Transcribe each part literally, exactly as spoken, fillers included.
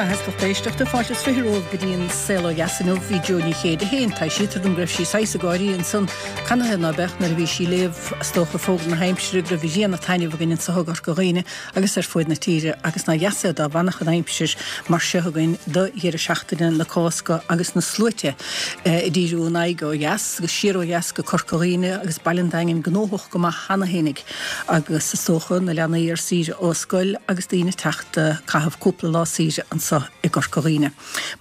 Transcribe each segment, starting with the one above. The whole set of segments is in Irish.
maith is lucht éisteachta fáilte is fiche romhaibh go dtí an Saol Ó Dheas inniu bhí Joe Ní Chéide féin taibhsítear dom go raibh sí saghas ag gáirí ansan canathaobh ná beadh nuair a bhí sí ag léamh is dócha fógra na haimsire go raibh grian ag taitneamh againn anseo i gCorca Dhuibhne agus ar fuaid na tíre agus nár dheas é dá bhfanfadh an aimsir mar seo againn do dheireadh seachtaine na Cásca agus na sluaite ag díriú a n-aghaidh ó dheas agus siar ó dheas go Corca Dhuibhne agus Baile an Daingin gnóthach go maith cheana fhéinig agus is dócha na leanaí ar saoire ó scoil agus daoine ag teacht caitheamh cúpla lá saoire anseo i gCorca Dhuibhne.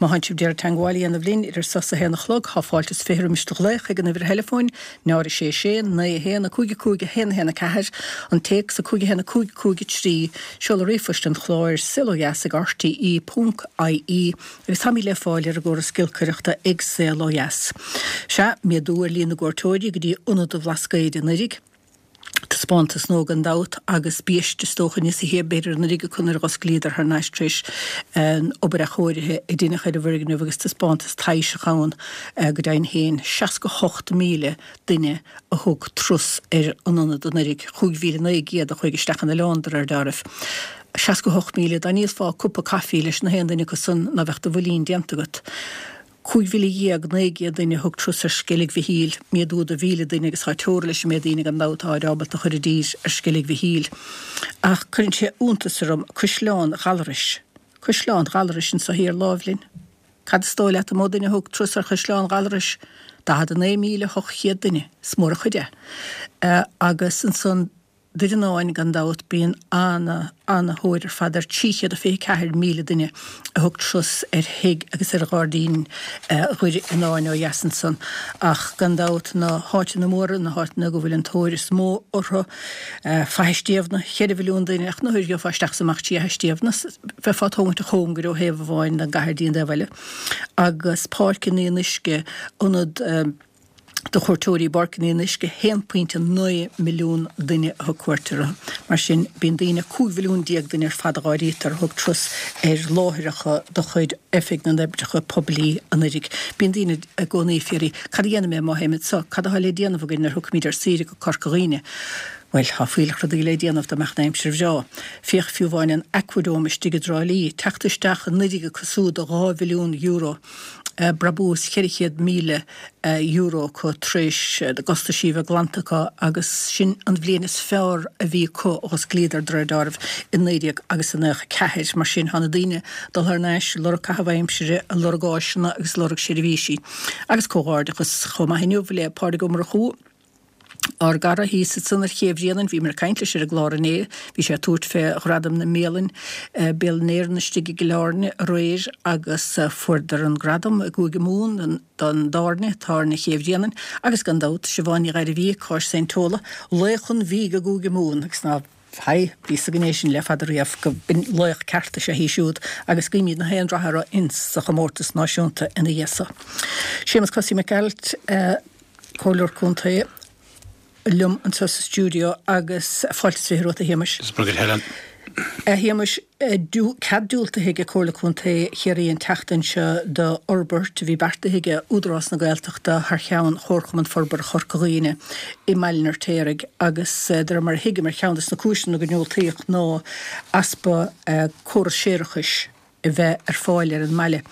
Má thánn sibh d'iarraidh teagmháil a dhéanamh linn idir seo is a haon a chlog tá fáilte is fiche roimis do ghlaoch ag an uimhir theileafóin náid a sé sé naoi a haon a cúig a cúig a haon a haon a ceathair an téacs a cúig a haon a cúig cúig a trí seoladh ríomhphoist an chláir saol ó dheas ag RTE ponc IE agus táimid le fáil ar an gcóras giolcaireachta ag Saol Ó Dheas. Sea, méadú ar líon na gcuairteoirí go dtí Ionad an Bhlascaoid anuraidh. Taispeántas nua gan dabht agus biaiste is dócha níos a b'fhéidir anuraidh acu nuair a dh'osclaíodar thar n-ais tar éis an obair athchóirithe a deineadh ar an bhfoirgneamh agus taispeántas taibhseach ann go deimhin féin. seasca hocht míle duine a thug turas ar an ionad anuraidh, chúig mhíle naoi gcéad a chuaigh isteach in oileán de réir dealraimh. seasca hocht míle, dá ndíolfá cupa caife leis na haon duine acu san ná bheadh do bhuilín déanta agat. Cúig mhíle dhéag naoi gcéad duine a thug turas ar Sceilg Mhichíl, méadú de mhíle duine agus tá teora leis an méid daoine gan dabht atáid ábalta a chur i dtír ar Sceilg Mhichíl. Ach cuireann sé iontas orm Caisleán Ghallarais. Caisleán Ghallarais anso thiar láimh linn. Cad is dóigh leat an mó duine a thug turas ar Chaisleán Ghallarais? Daichead a naoi míle ocht chéad duine. Is mór an chuid é. Agus ansan Doire Fhionáin, gan dabht, bíonn ana, ana-thóir ar fad air. trí chéad a fiche ceathair míle duine a thug turas ar thigh agus ar ghairdín Dhoire Fhionáin ó dheas ansan. Ach gan dabht, na háiteanna móra, na háiteanna go bhfuil an tóir is mó orthu, Faiche Stiabhna, ceithre mhilliún duine, ach nuair a gheofá isteach is amach trí Fhaiche Stiabhna, bheifeá ag tógaint a chóngair ó thaobh amháin den gcathair dtí an taobh eile. Agus Páirc an Fhionnuisce, ionad. do chuairteoirí i bPáirc an Fhionnuisce, haon pointe naoi milliún duine a thug cuairt orthu. Mar sin, bíonn daoine, cúig mhilliún déag duine ar fad a dh'áirítear, a thug turas ar láithreacha de chuid Oifig na nOibreacha Poiblí anuraidh. Bíonn daoine i gcónaí ag fiafraí, cad a dhéanfaidh mé má théim anso? Cad atá le déanamh againn nuair a thiocfaimid ar saoire go Corca Dhuibhne? Bhuel, tá fuílleach rudaí le déanamh dá mbeadh an aimsir bhreá. Féach fiú amháin an Aquadome istigh i dTrá Lí, teacht isteach anuraidh acu súd de dhá bhilliún euro. brabús cheithre chéad míle euro acu tar éis na gcostaisí a bheith glanta acu agus sin an bhliain is fearr a bhí acu ó osclaíodar de réir dealraimh i naoi déag agus a naocha ceathair. Mar sin tá na daoine ag dul thar n-ais ag lorg caitheamh aimsire, ag lorg áiseanna agus ag lorg seirbhísí. Agus comhghairdeachas chomh maith inniu le Pádraig Ó Murchú, Ár gcara thíos ansan ar Ché Bhréanainn, bhíomar ag caint leis ar an gclár inné, bhí sé ag tabhairt fé Ghradam na mBialann, Bialann Éireann istigh i gCill Airne aréir agus fuaireadar an gradam i gCúige Mumhan don dtábhairne, Tábhairne Ché Bhréanainn agus gan dabht Siobhán Ní Ghairbhí, Cáis Saint Tola, laoch an bhídh i gCúige Mumhan agus ná Haigh, bhí fhios againn é sin le fada riamh go b'in laoch ceart is ea í siúd agus guímid na haon rath uirthi ins sa chomórtas náisiúnta ina dhiaidh so. Séamus Cosaí Mac Gearailt, Comhairleoir Contae liom anseo sa stiúideo agus fáilte is fiche romhat a Shéamais. Is breá Helen. A Shéamais, cead diúltaithe ag Comhairle Contae Chiarraí an tseachtain seo do fhorbairt a bhí beartaithe ag Údarás na Gaeltachta thar cheann Chomharchumann Forbartha Chorca Dhuibhne i mBaile an Fheirtéaraigh agus de réir mar a thuigim ar cheann de na cúiseanna go ndiúltaíodh ná easpa córas séarachais a bheith ar fáil ar an mbaile.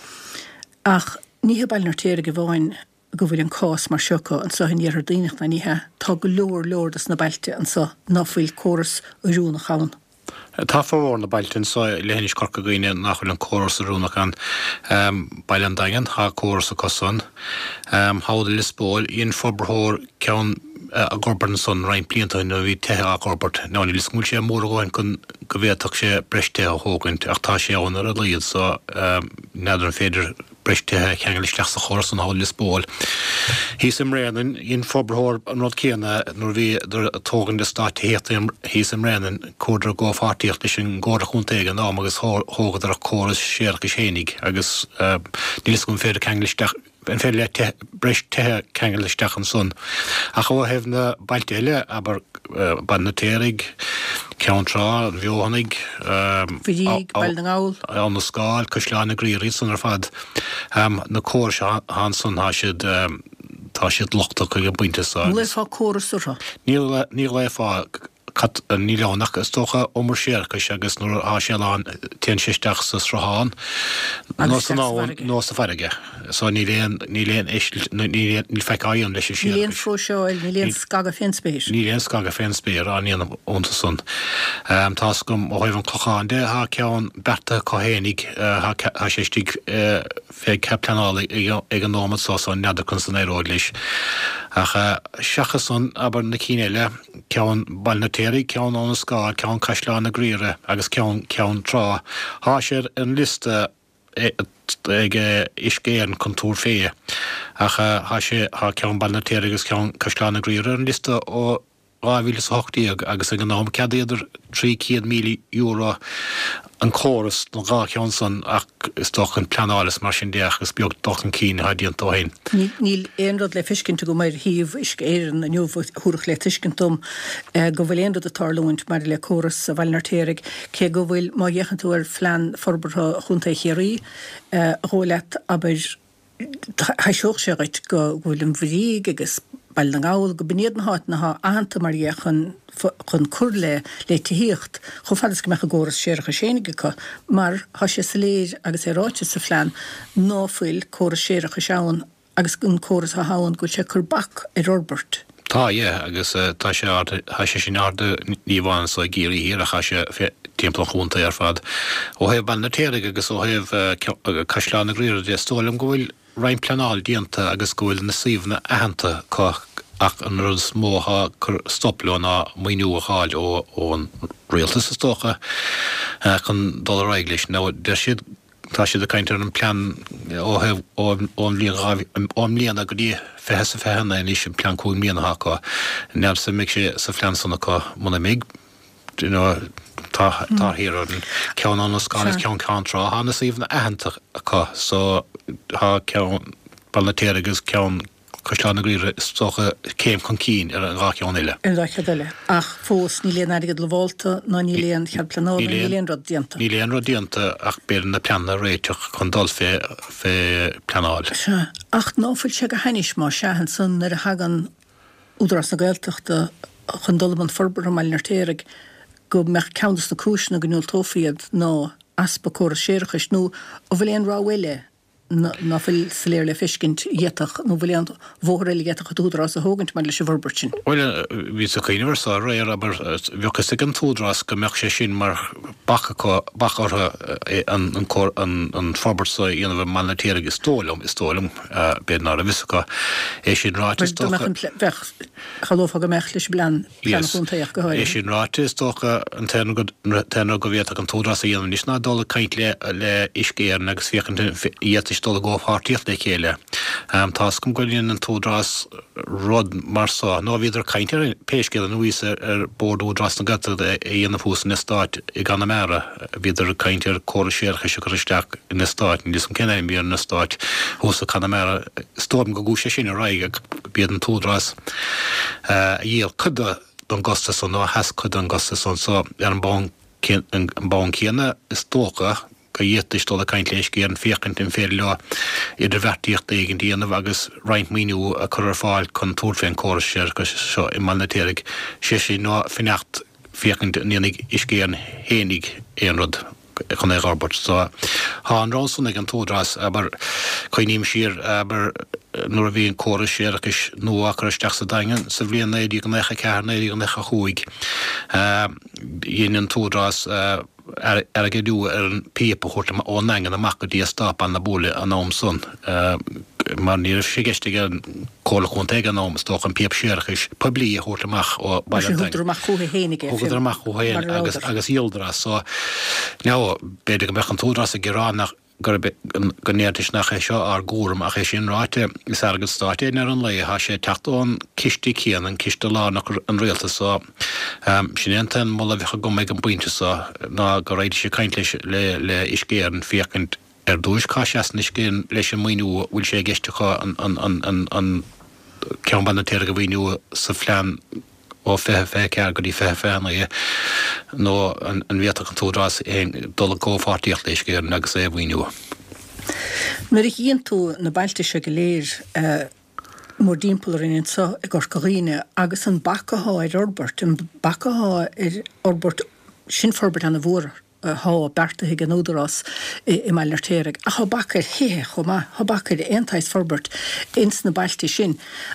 Ach ní hé Baile an Fheirtéaraigh amháin go bhfuil an cás mar seo acu anseo in Iarthar Duibhneach, ná ní hea, tá go leor leor dos na bailte anseo ná fuil córas oiriúnach ann. Tá formhór na bailte anseo i leithinis Chorca Dhuibhne nach bhfuil an córas oiriúnach ann. Baile an Daingin, tá córas acu san. Thall i Lios Póil, dhein forbarthóir ceann a dh'fhorbairt ansan roinnt blianta ó shin nuair a bhí tithe á dh'fhorbairt. Now níl 'fhios agam an bhfuil sé mór a dhóthain chun go bhféadfadh sé breis tithe a thógaint ach tá sé ann ar a laghad so n'fheadar an féidir breis tithe a cheangal isteach sa chóras san thall i Lios Póil. Thíos i mBréanainn, dhein forbarthóir an rud céanna nuair a bhíodar ag tógaint eastát tithíochta thíos i mBréanainn, chuadar i gcomhpháirtíocht leis an gComhairle Chontae ag an am agus thógadar a córas séarachais fhéinig agus níl 'fhios agam an féidir ceangal isteach, an féidir le tithe, breis tithe ceangal isteach ansan. Ach ó thaobh na bailte eile, abair, Baile an Fheirtéaraigh, Ceann Trá, an Fheothanaigh, Mhuirígh, Baile na nGall. Abhainn na Scáil, Caisleán na gCriathrach, iad san ar fad. Na córais atá ansan, tá siad, tá siad lochtach ag an bpointe seo. An nglaofá córas orthu? Ní, ní ghlaofá Níl ann ach is dócha umar séarachais agus nuair atá sé lán téann sé isteach sa sruthán nó san abhainn nó sa bhfarraige. So níl aon níl aon eisilt níl faic á dhéanamh leis an séarachas. Níl aon phróiseáil, níl aon scagadh fén spéir. Níl aon scagadh fén spéir á ndéanamh iontu san. Tá 's agam ó thaobh an Chlocháin de, tá ceann beartaithe acu fhéinig, tá sé istigh fé chead pleanála ag an nóimeat so so n'fheadar conas a n-éireoidh leis. Ach seachas san, abair, na cinn eile, ceann Baile an Fheirtéaraigh, ceann Abha na Scáil, ceann Caisleán na Graoire agus ceann Ceann Trá, thá sé ar an liosta ag Uisce Éireann chun tabhairt fé. Ach thá sé, thá ceann Baile an Fheirtéaraigh agus ceann Caisleán na Graoire ar an liosta ó dhá mhíle is a hocht déag agus ag an am ceadaíodar trí chéad míle euro an córas don dhá cheann san ach is dócha an pleanáil is mar sin de ach is beag dul chun cinn atá déanta ó shin. Níl aon rud le feiscint agam ar shuíomh Uisce Éireann inniu a thabharfadh le tuiscint dom go bhfuil aon rud ag tarlúint maidir le córas Bhaile an Fheirtéaraigh, cé go bhfuil, má fhéachann tú ar Phlean Forbartha Chontae Chiarraí, dhóigh leat, abair, Thaibhseodh sé dhuit go bhfuil an Bhrígh agus Baile na nGall, go b'in iad na háiteanna atá aitheanta mar dhea chun chun cur le le tithíocht, chomh fada is go mbeadh a gcóras séarachais fhéinig acu, mar tá sé soiléir agus é ráite sa phlean ná fuil córas séarachais ann agus an córas atá ann go bhfuil sé ag cur bac ar fhorbairt. Tá, yeah, agus tá sé ard, tá sé sin ard ní amháin anso i gCiarraí Thiar ach tá sé timpeall an chontae ar fad. Ó thaobh Baile an Fheirtéaraigh agus ó thaobh Caisleán na Graoire de, is dóigh liom go bhfuil roinnt pleanáil déanta agus go bhfuil na suíomhanna aitheanta acu ach an rud is mó atá ag cur stop leo ná maoiniú a fháil ón rialtas is dócha chun dul ar aghaidh leis. Now deir siad Tá siad ag caint ar an plean ó thaobh ón bhliain ó i mbliana go dtí fiche is a fiche a naoi anois, an plean cúig mbliana atá acu. N'fheadar an mbeidh sé sa phlean san acu muna mbeidh, you know, tá tá thiar orainn. Ceann Abha na Scáil agus ceann Ceann Trá, tá na suíomhanna aitheanta acu so tá ceann Baile an Fheirtéaraigh agus ceann Caisleán na Graoire, is dócha, céim chun cinn ar an dhá cheann eile. Ar an dá cheann eile. Ach fós, níl aon airgead lamhálta ná níl aon chead pleanála, níl aon rud déanta. Níl aon rud déanta ach b'fhéidir na pleananna a réiteach chun dul fé fé pleanáil. Sea. Ach ná fuil sé go hainnis, más ea, ansan nuair a thagann Údarás na Gaeltachta chun dul i mbun forbartha i mBaile an Fheirtéaraigh, go mbeadh ceann des na cúiseanna go ndiúltófaí iad ná easpa córas séarachais, nó an bhfuil aon rogha eile ná fuil soiléir le feiscint a d'fhéadfadh, nó bhfuil aon bhóthar eile a d'fhéadfadh an tÚdarás a thógaint maidir leis an bhforbairt sin? Bhuel, bhíos ag cuimhneamh air so aréir, abair, bheadh fhios ag an tÚdarás go mbeadh sé sin mar bac acu, bac orthu an, an, an forbairt so a dhéanamh i mBaile an Fheirtéaraigh, is dóigh liom, is dóigh liom, b'fhéidir ná raibh fhios acu. É sin ráite, is dócha. Bheadh, shamhlófá go mbeadh leis an bplean, plean chontae ach go háirithe. É sin ráite, is dócha an t-aon rud go bhféadfadh an tÚdarás a dhéanamh anois ná dul ag caint le le Uisce Éireann agus féachaint an bhféadfaidís dul i gcomhpháirtíocht le chéile. Tá 'fhios agam go ndein an tÚdarás rud mar so, nó bhíodar ag caint air pé scéal é nuair a bhíos ar Bord Údarás na Gaeltachta a dhéanamh thuas in eastát i gConamara. Bhíodar ag caint ar córas séarachais a chur isteach in eastát, níl 'fhios agam cén ainm a bhí ar an eastát thuas i gConamara. Is dóigh liom go gcuaigh sé sin ar aghaidh ach b'iad an tÚdarás a dhíol cuid den gcostas san nó a sheas cuid den gcostas san so ar an mbonn céanna is dócha go bhféadfaidís dul ag caint le Uisce Éireann féachaint an féidir leo idirbheartaíocht éigin a dhéanamh agus roinnt maoiniú a chur ar fáil chun tabhairt fén córas séarachais seo i mBaile an Fheirtéaraigh, sé sin nó fanacht féachaint an ndéanfaidh Uisce Éireann fhéinig aon rud chun é a dh'fhorbairt. So, tá an rogha san ag an tÚdarás, abair, cuimhním siar, abair, nuair a bhí an córas séarachais nua á chur isteach sa Daingean sa bhliain naoi déag naocha a ceathair, naoi déag naocha a chúig, dhein an tÚdarás airgeadú ar an bpíopa a thabhairt ón nDaingean amach go dtí eastát Baile na Buaile an am san. mar ní raibh sé i gceist ag an Comhairle Chontae ag an am, is dócha, an píopa séarachais poiblí a thabhairt amach ó Bhaile an Daingin. Thugadar amach chucu fhéinig é, Thugadar amach chucu féin mar a agus rabhadar. agus dhíoladar as. So, now, b'fhéidir go mbeadh an tÚdarás ag gearán nach, gurb, go ndéarfaidís nach é seo ár gcúram ach é sin ráite, is airgead stáit é i ndeireadh an lae, tá sé ag teacht ón ciste céanna, an ciste lárnach an rialtais so, sin é an t-aon moladh a bheadh agam ag an bpointe so ná go raghaidís ag caint leis, le, le Uisce Éireann féachaint Ar dtúis, cá seasann Uisce Éireann leis an maoiniú, an bhfuil sé i gceist acu an ceann Baile an Fheirtéaraigh a mhaoiniú sa phlean ó fiche fiche a ceathair go dtí fiche fiche a naoi nó an bhféadfadh an tÚdarás féin dul i gcomhpháirtíocht le Uisce Éireann agus é a mhaoiniú? Nuair a chíonn tú na bailte seo go léir, mórdtimpeall orainn anseo i gCorca Dhuibhne agus an bac atá ar fhorbairt, an bac atá ar fhorbairt, sin forbairt ana-mhór atá beartaithe ag an Údarás i mBaile an Fheirtéaraigh, ach tá bac ar thithe chomh maith, tá bac ar aon tsaghas forbairt ins na bailte sin.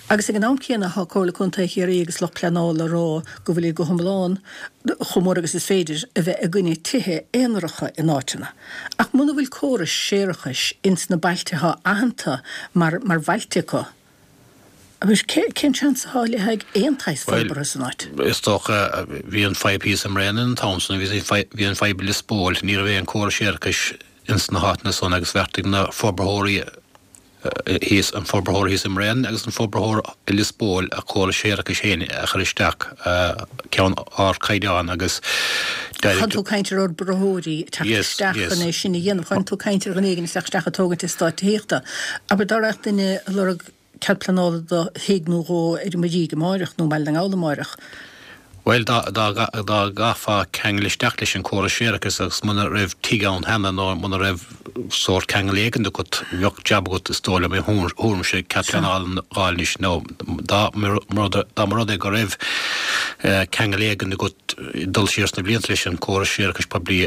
Agus ag an am céanna tá Comhairle Contae Chiarraí agus lucht pleanála ag rá go bhfuil go hiomlán, chomh mór agus is féidir, a bheith i gcoinne tithe aonaracha in áiteanna. Ach muna bhfuil córais séarachais ins na bailte atá aitheanta mar mar bhailte acu, Abair, cén seans atá le haghaidh aon tsaghas forbartha san áit? Is dócha, bhí an fadhb thíos i mBréanainn an t-am san, bhí an fadhb i Lios Póil, ní raibh aon córas séarachais ins na háiteanna san agus bheartaigh na forbarthóirí thíos, an forbarthóir thíos i mBréanainn agus an forbarthóir i Lios Póil a córas séarachais féin a chur isteach, ceann ardchaighdeán agus Chan tú ag caint ar fhorbarthóirí ag teacht isteach chun é sin a dhéanamh, chan tú ag caint ar dhuine éigin ag teacht isteach ag tógaint eastát tithíochta. Abair, dá raghadh duine ag lorg cead pleanála do thigh nó dhó ar an Mhuirígh amáireach nó i mBaile na nGall amáireach. Bhuel, dá gcaithfeá ceangal isteach leis an córas séarachais agus muna raibh tigh ann cheana nó muna raibh sórt ceangal éigin agat, bheadh jab agat is dóigh liom, im thuairimse, cead pleanála a fháil anois nó dá mba rud é go raibh ceangal éigin agat dul siar sna blianta leis an córas séarachais poiblí,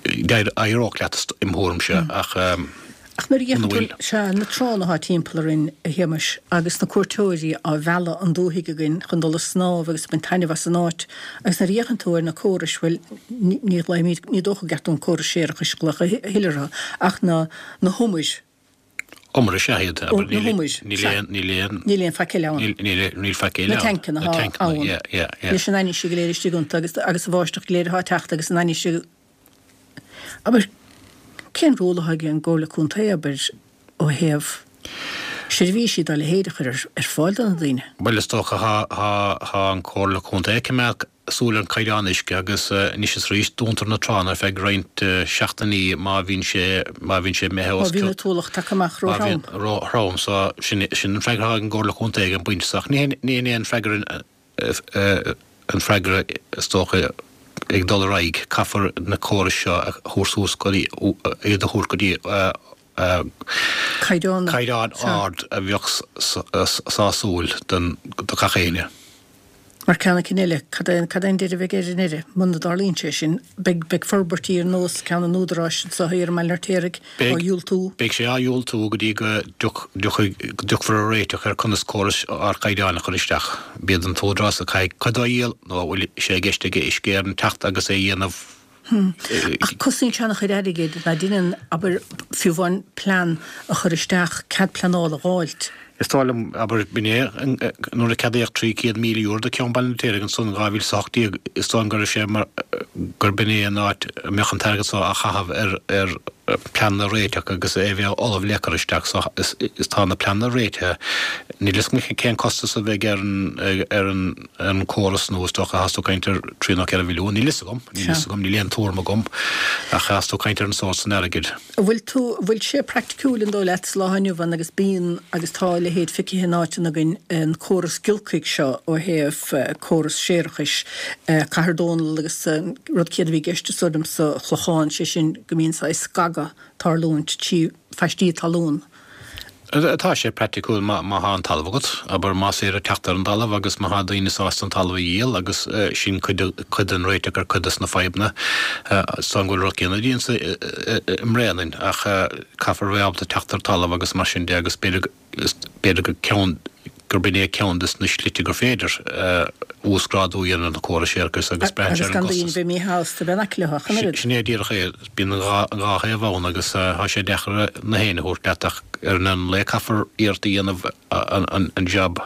d'éireodh leat im thuairimse ach. Ach nuair a fhéachann tú, sea, na tránna atá timpeall orainn, a Shéamais, agus na cuairteoirí á mhealladh 'on dúthaigh againn chun dul ag snámh agus ag baint taitneamh as an áit, agus nuair a fhéachann tú ar na córais, bhuel, ní ghlaofaimid, ní dócha go gceart dúinn córais séarachais a ghlaoch a thuilleadh orthu, ach na, na humair. Umair is ea iad, abair, Na humair, níl sea. aon, níl aon. Níl aon faic eile ann. Níl, níl, níl faic eile Na ann. tancanna Na atá tancanna, ann. yeah, yeah, yeah. Leis an ainnise go léir istigh iontu agus, agus an bháisteach go léir atá ag teacht agus an ainnise, abair, Cén ról atá ag an gComhairle Contae, abair, ó thaobh seirbhísí dá leithéid a chur ar fáil do na daoine? Bhuel, is dócha, tá an Chomhairle Contae ag coimeád súil ar an caighdeán uisce agus anois is arís dúntar na tránna ar feadh roinnt seachtainí má bhíonn sé, má bhíonn sé imithe os cionn. Má bhíonn an t-ualach tagtha amach róthrom. Róthrom, so sin an freagra atá ag an gComhairle Contae ag an bpointe so ach ní hin é an freagra an freagra is dócha ag dul ar aghaidh, caithfear na córais seo a thabhairt suas go dtí, iad a thabhairt go dtí caighdeán caighdeán ard a bheadh sásúil don do gach éinne. Mar ceann cinn eile, cad é cad é an deireadh a bheidh air i ndeireadh, muna dtarlaíonn sé sin, beidh beidh forbairtí ar nós ceann an Údaráis anseo thiar i mBaile an Fheirtéaraigh á dhiúltú. Beidh sé á dhiúltú go dtí go dtiocfaidh go dtiocfar ar réiteach ar conas córais ardchaighdeáin a chur isteach. B'iad an tÚdarás a chaithfidh cuid dá dhíol nó an bhfuil sé i gceist aige Uisce Éireann teacht agus é a dhéanamh. Ach cosnaíonn sé an-chuid airgid, ná deineann, abair, fiú amháin plean a chur isteach, cead pleanála a dh'fháilt. Is dóigh liom, abair, b'in é, nuair a ceadaíodh trí chéad míle euro do cheann Bhaile an Fheirtéaraigh ansan in dhá mhíle is a hocht déag, is dóigh liom go raibh sé mar, gurb in é an áit a mbeadh an t-airgead so á chaitheamh ar, ar pleananna a réiteach agus é a bheith ullamh le cur isteach so is, is tá na pleananna réitithe. Níl fhios agam cén costas a bheidh ar an, ar an, ar an córas nua, is dócha, thás tú ag caint ar trí nó ceithre mhilliún, níl fhios agam, níl fhios agam, níl aon tuairim agam ach thás tú ag caint ar an sórt san airgid. An bhfuil tú, an bhfuil sé praiticiúil an dóigh leat sa lá inniu ann agus bíonn agus tá a leithéid feicthe in áiteanna againn an córas giolcaigh seo ó thaobh córas séarachais Cathair Dónall agus an rud céanna a bhí i gceist is dóigh liom sa Chlochán, sé sin go mbíonn saghas scagadh ag tarlúint trí phaistí talún. Tá sé praiticiúil má thá an talamh agat, abair, más féidir teacht ar an dtalamh agus má thá daoine sásta an talamh a dhíol agus sin cuid den réiteach ar cuid des na fadhbanna. Is dóigh go bhfuil an rud céanna déanta i mBréanainn ach caithfear a bheith ábalta teacht ar talamh agus mar sin de agus b'fhéidir b'fhéidir gur ceann gurb in é ceann des na slite gur féidir uasghrádú a dhéanamh ar na córais séarachais agus braitheann sé Agus ar an gan daoine gcostas. bheith míshásta bheith in aice leo ach an oiread. Sin é díreach é. Bíonn an dhá an dhá thaobh ann agus tá sé deacair na héinne a thabhairt leat ach ar an an lae caithfear iarracht a dhéanamh an an an jab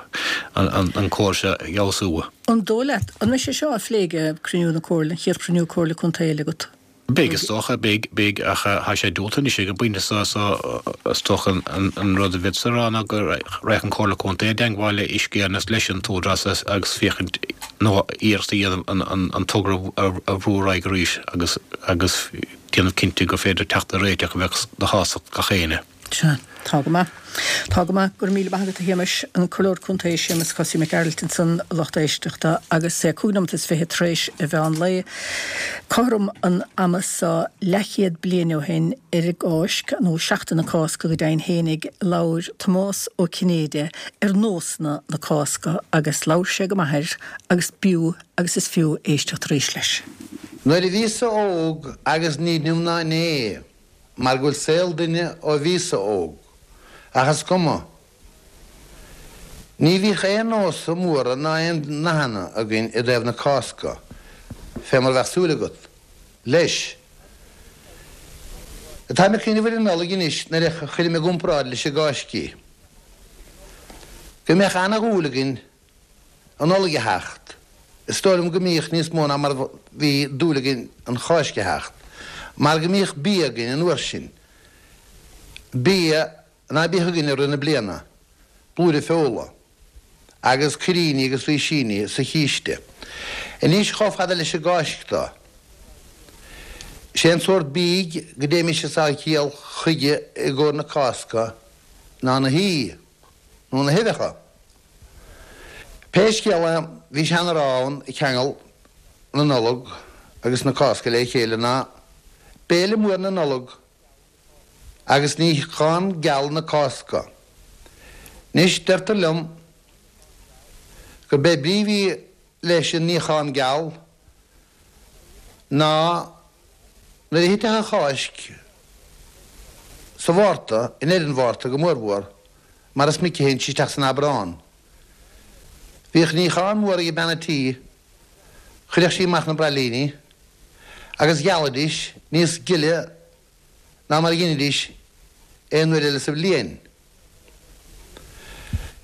an an an córas a fheabhsú. An dóigh leat, an mbeidh sé seo á phlé ag cruinniú na Comhairle, an chéad chruinniú Comhairle Contae eile agat? Beidh, is dócha, beidh, beidh, ach tá sé diúltaithe anois ag an bpointe seo, so is dócha an rud a bhféadfá a rá ná go raghadh an Chomhairle Contae i dteangmháil le Uisce Éireann agus leis an tÚdarás agus féachaint nó iarracht a dhéanamh an togra a bhrú ar aghaidh arís agus agus déanamh cinnte gur féidir teacht ar réiteach a bheadh do shásamh gach éinne. Sea. Tá go maith. Tá go maith. Go raibh míle maith agat a Shéamais, an Comhairleoir Contae Séamus Chosaí Mac Gearailt ansan a lucht éisteachta agus é cúig nóiméad is fiche tar éis a mheán lae. Cothrom an ama seo leathchéad bliain ó shin ar an gCáisc, nó Seachtain na Cásca go deimhin fhéinig, labhair Tomás Ó Cinnéide ar nósanna na Cásca agus labhair sé go maith air agus b'fhiú agus is fiú éisteacht arís leis. Nuair a bhíos-sa óg agus ní inniu ná inné, mar go bhfuil saol duine ó bhíos-sa óg, ach is cuma. Ní bhíodh aon nósa móra ná aon nathanna againn i dtaobh na Cásca, fé mar a bheadh súil agat, leis. Táim ag cuimhneamh ar an Nollaig anois nuair a chuirim i gcomparáid leis an gCáisc í. Go mbeadh ana-dhúil againn an Nollaig a theacht. Is dóigh liom go mbíodh níos mó ná mar a bhí dúil againn an Cháisc a theacht, mar go mbíodh bia againn an uair sin, bia ná bíodh againn i rith na bliana, blúire feola, agus cuiríní agus rísíní sa chíste. Anois chomh fada leis an gCáisc do, 'sé an sórt bídh go dtéimis as ár gciall chuige i gcomhair na Cásca ná na haoi nó na huibheacha. Pé scéal é, bhí seanrá ann ag ceangal na Nollag agus na Cásca le chéile ná Béile mór na Nollag agus níochán geal na Cásca. Anois, deirtear liom gurb é brí a bhí leis an níochán geal ná nuair a thitfeadh an Cháisc sa Mhárta, i ndeireadh an Mhárta go mórmhór, mar is minic a théann sí isteach san Aibreán. Bhíodh níochán mór ag bean an tí, chuireadh sí amach na braillíní agus ghealaidís níos gile ná mar a dheinidís aon uair eile sa bhliain.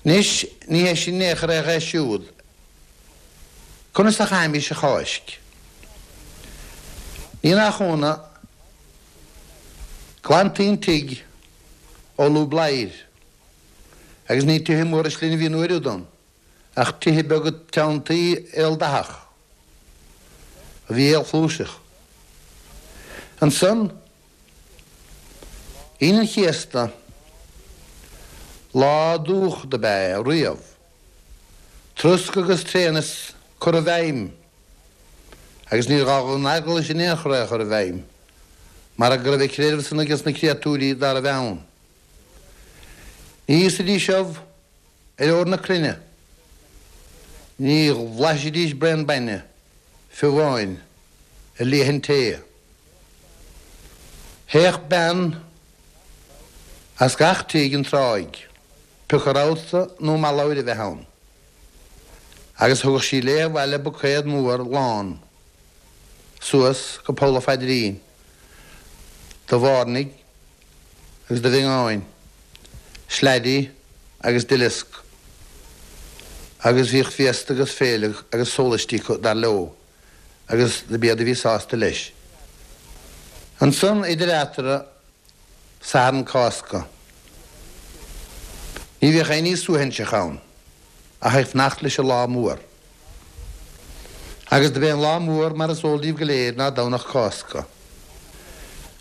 Anois, ní hé sin in aon chor é siúd. Conas a chaithimís an Cháisc? Ní nach ionadh, ghlantaí an tigh ó lúb ladhair agus ní tithe móra slinne a bhí an uair údan ach tithe beaga teanntaí aoldathach a bhí aolchluaiseach. Ansan, Aoine an Chéasta, lá dúch dob ea é riamh. Troscadh agus tréanas curtha i bhfeidhm agus níor ghá don Eaglais in aon chor é a chur i bhfeidhm mar go raibh a creideamh san ages na créatúirí dá raibh ann. Ní íosfaidís ubh ar ór na cruinne. Ní bhlaisfidís braon bainne, fiú amháin, ar leath an tae. Théadh bean as gach tigh an tráigh, pioca rabhsa nó malabhair a bheith ann, agus thugadh sí léi abhaile buicéad mór lán suas go poll a phaidrín de bhairnigh agus de mhiongáin, sleaidí agus duileasc, agus bhíodh féasta agus féile agus sólaistí acu, dar leo, agus dob iad a bhí sásta leis. Ansan, idir eatarthu, Satharn Cásca. Ní bhíodh aon ní suaithinseach ann, ach ag fanacht leis an lá mór. Agus dob é an lá mór, mar is eol daoibh go léir, ná Domhnach Cásca.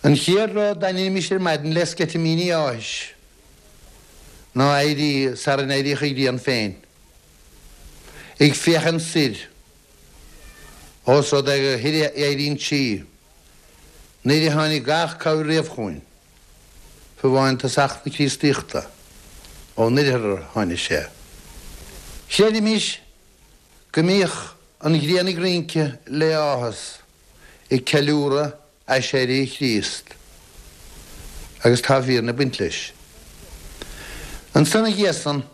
An chéad rud dá ndeinimís ar maidin le sceitimíní áthais ná éirí sara n-éiríodh an ghrian féin, ag féachaint soir, ós rud é gur thoir a éiríonn sí, nuair a tháinig gach cabhair riamh chugainn, fiú amháin tosach na Críostaíochta, ón oirthear a tháinig sé. Chreidimis go mbíodh an ghrian ag rince le áthas, ag ceiliúradh aiséirí Chríost, agus tá fírinne ag baint leis. Ansan ina dhiaidh san,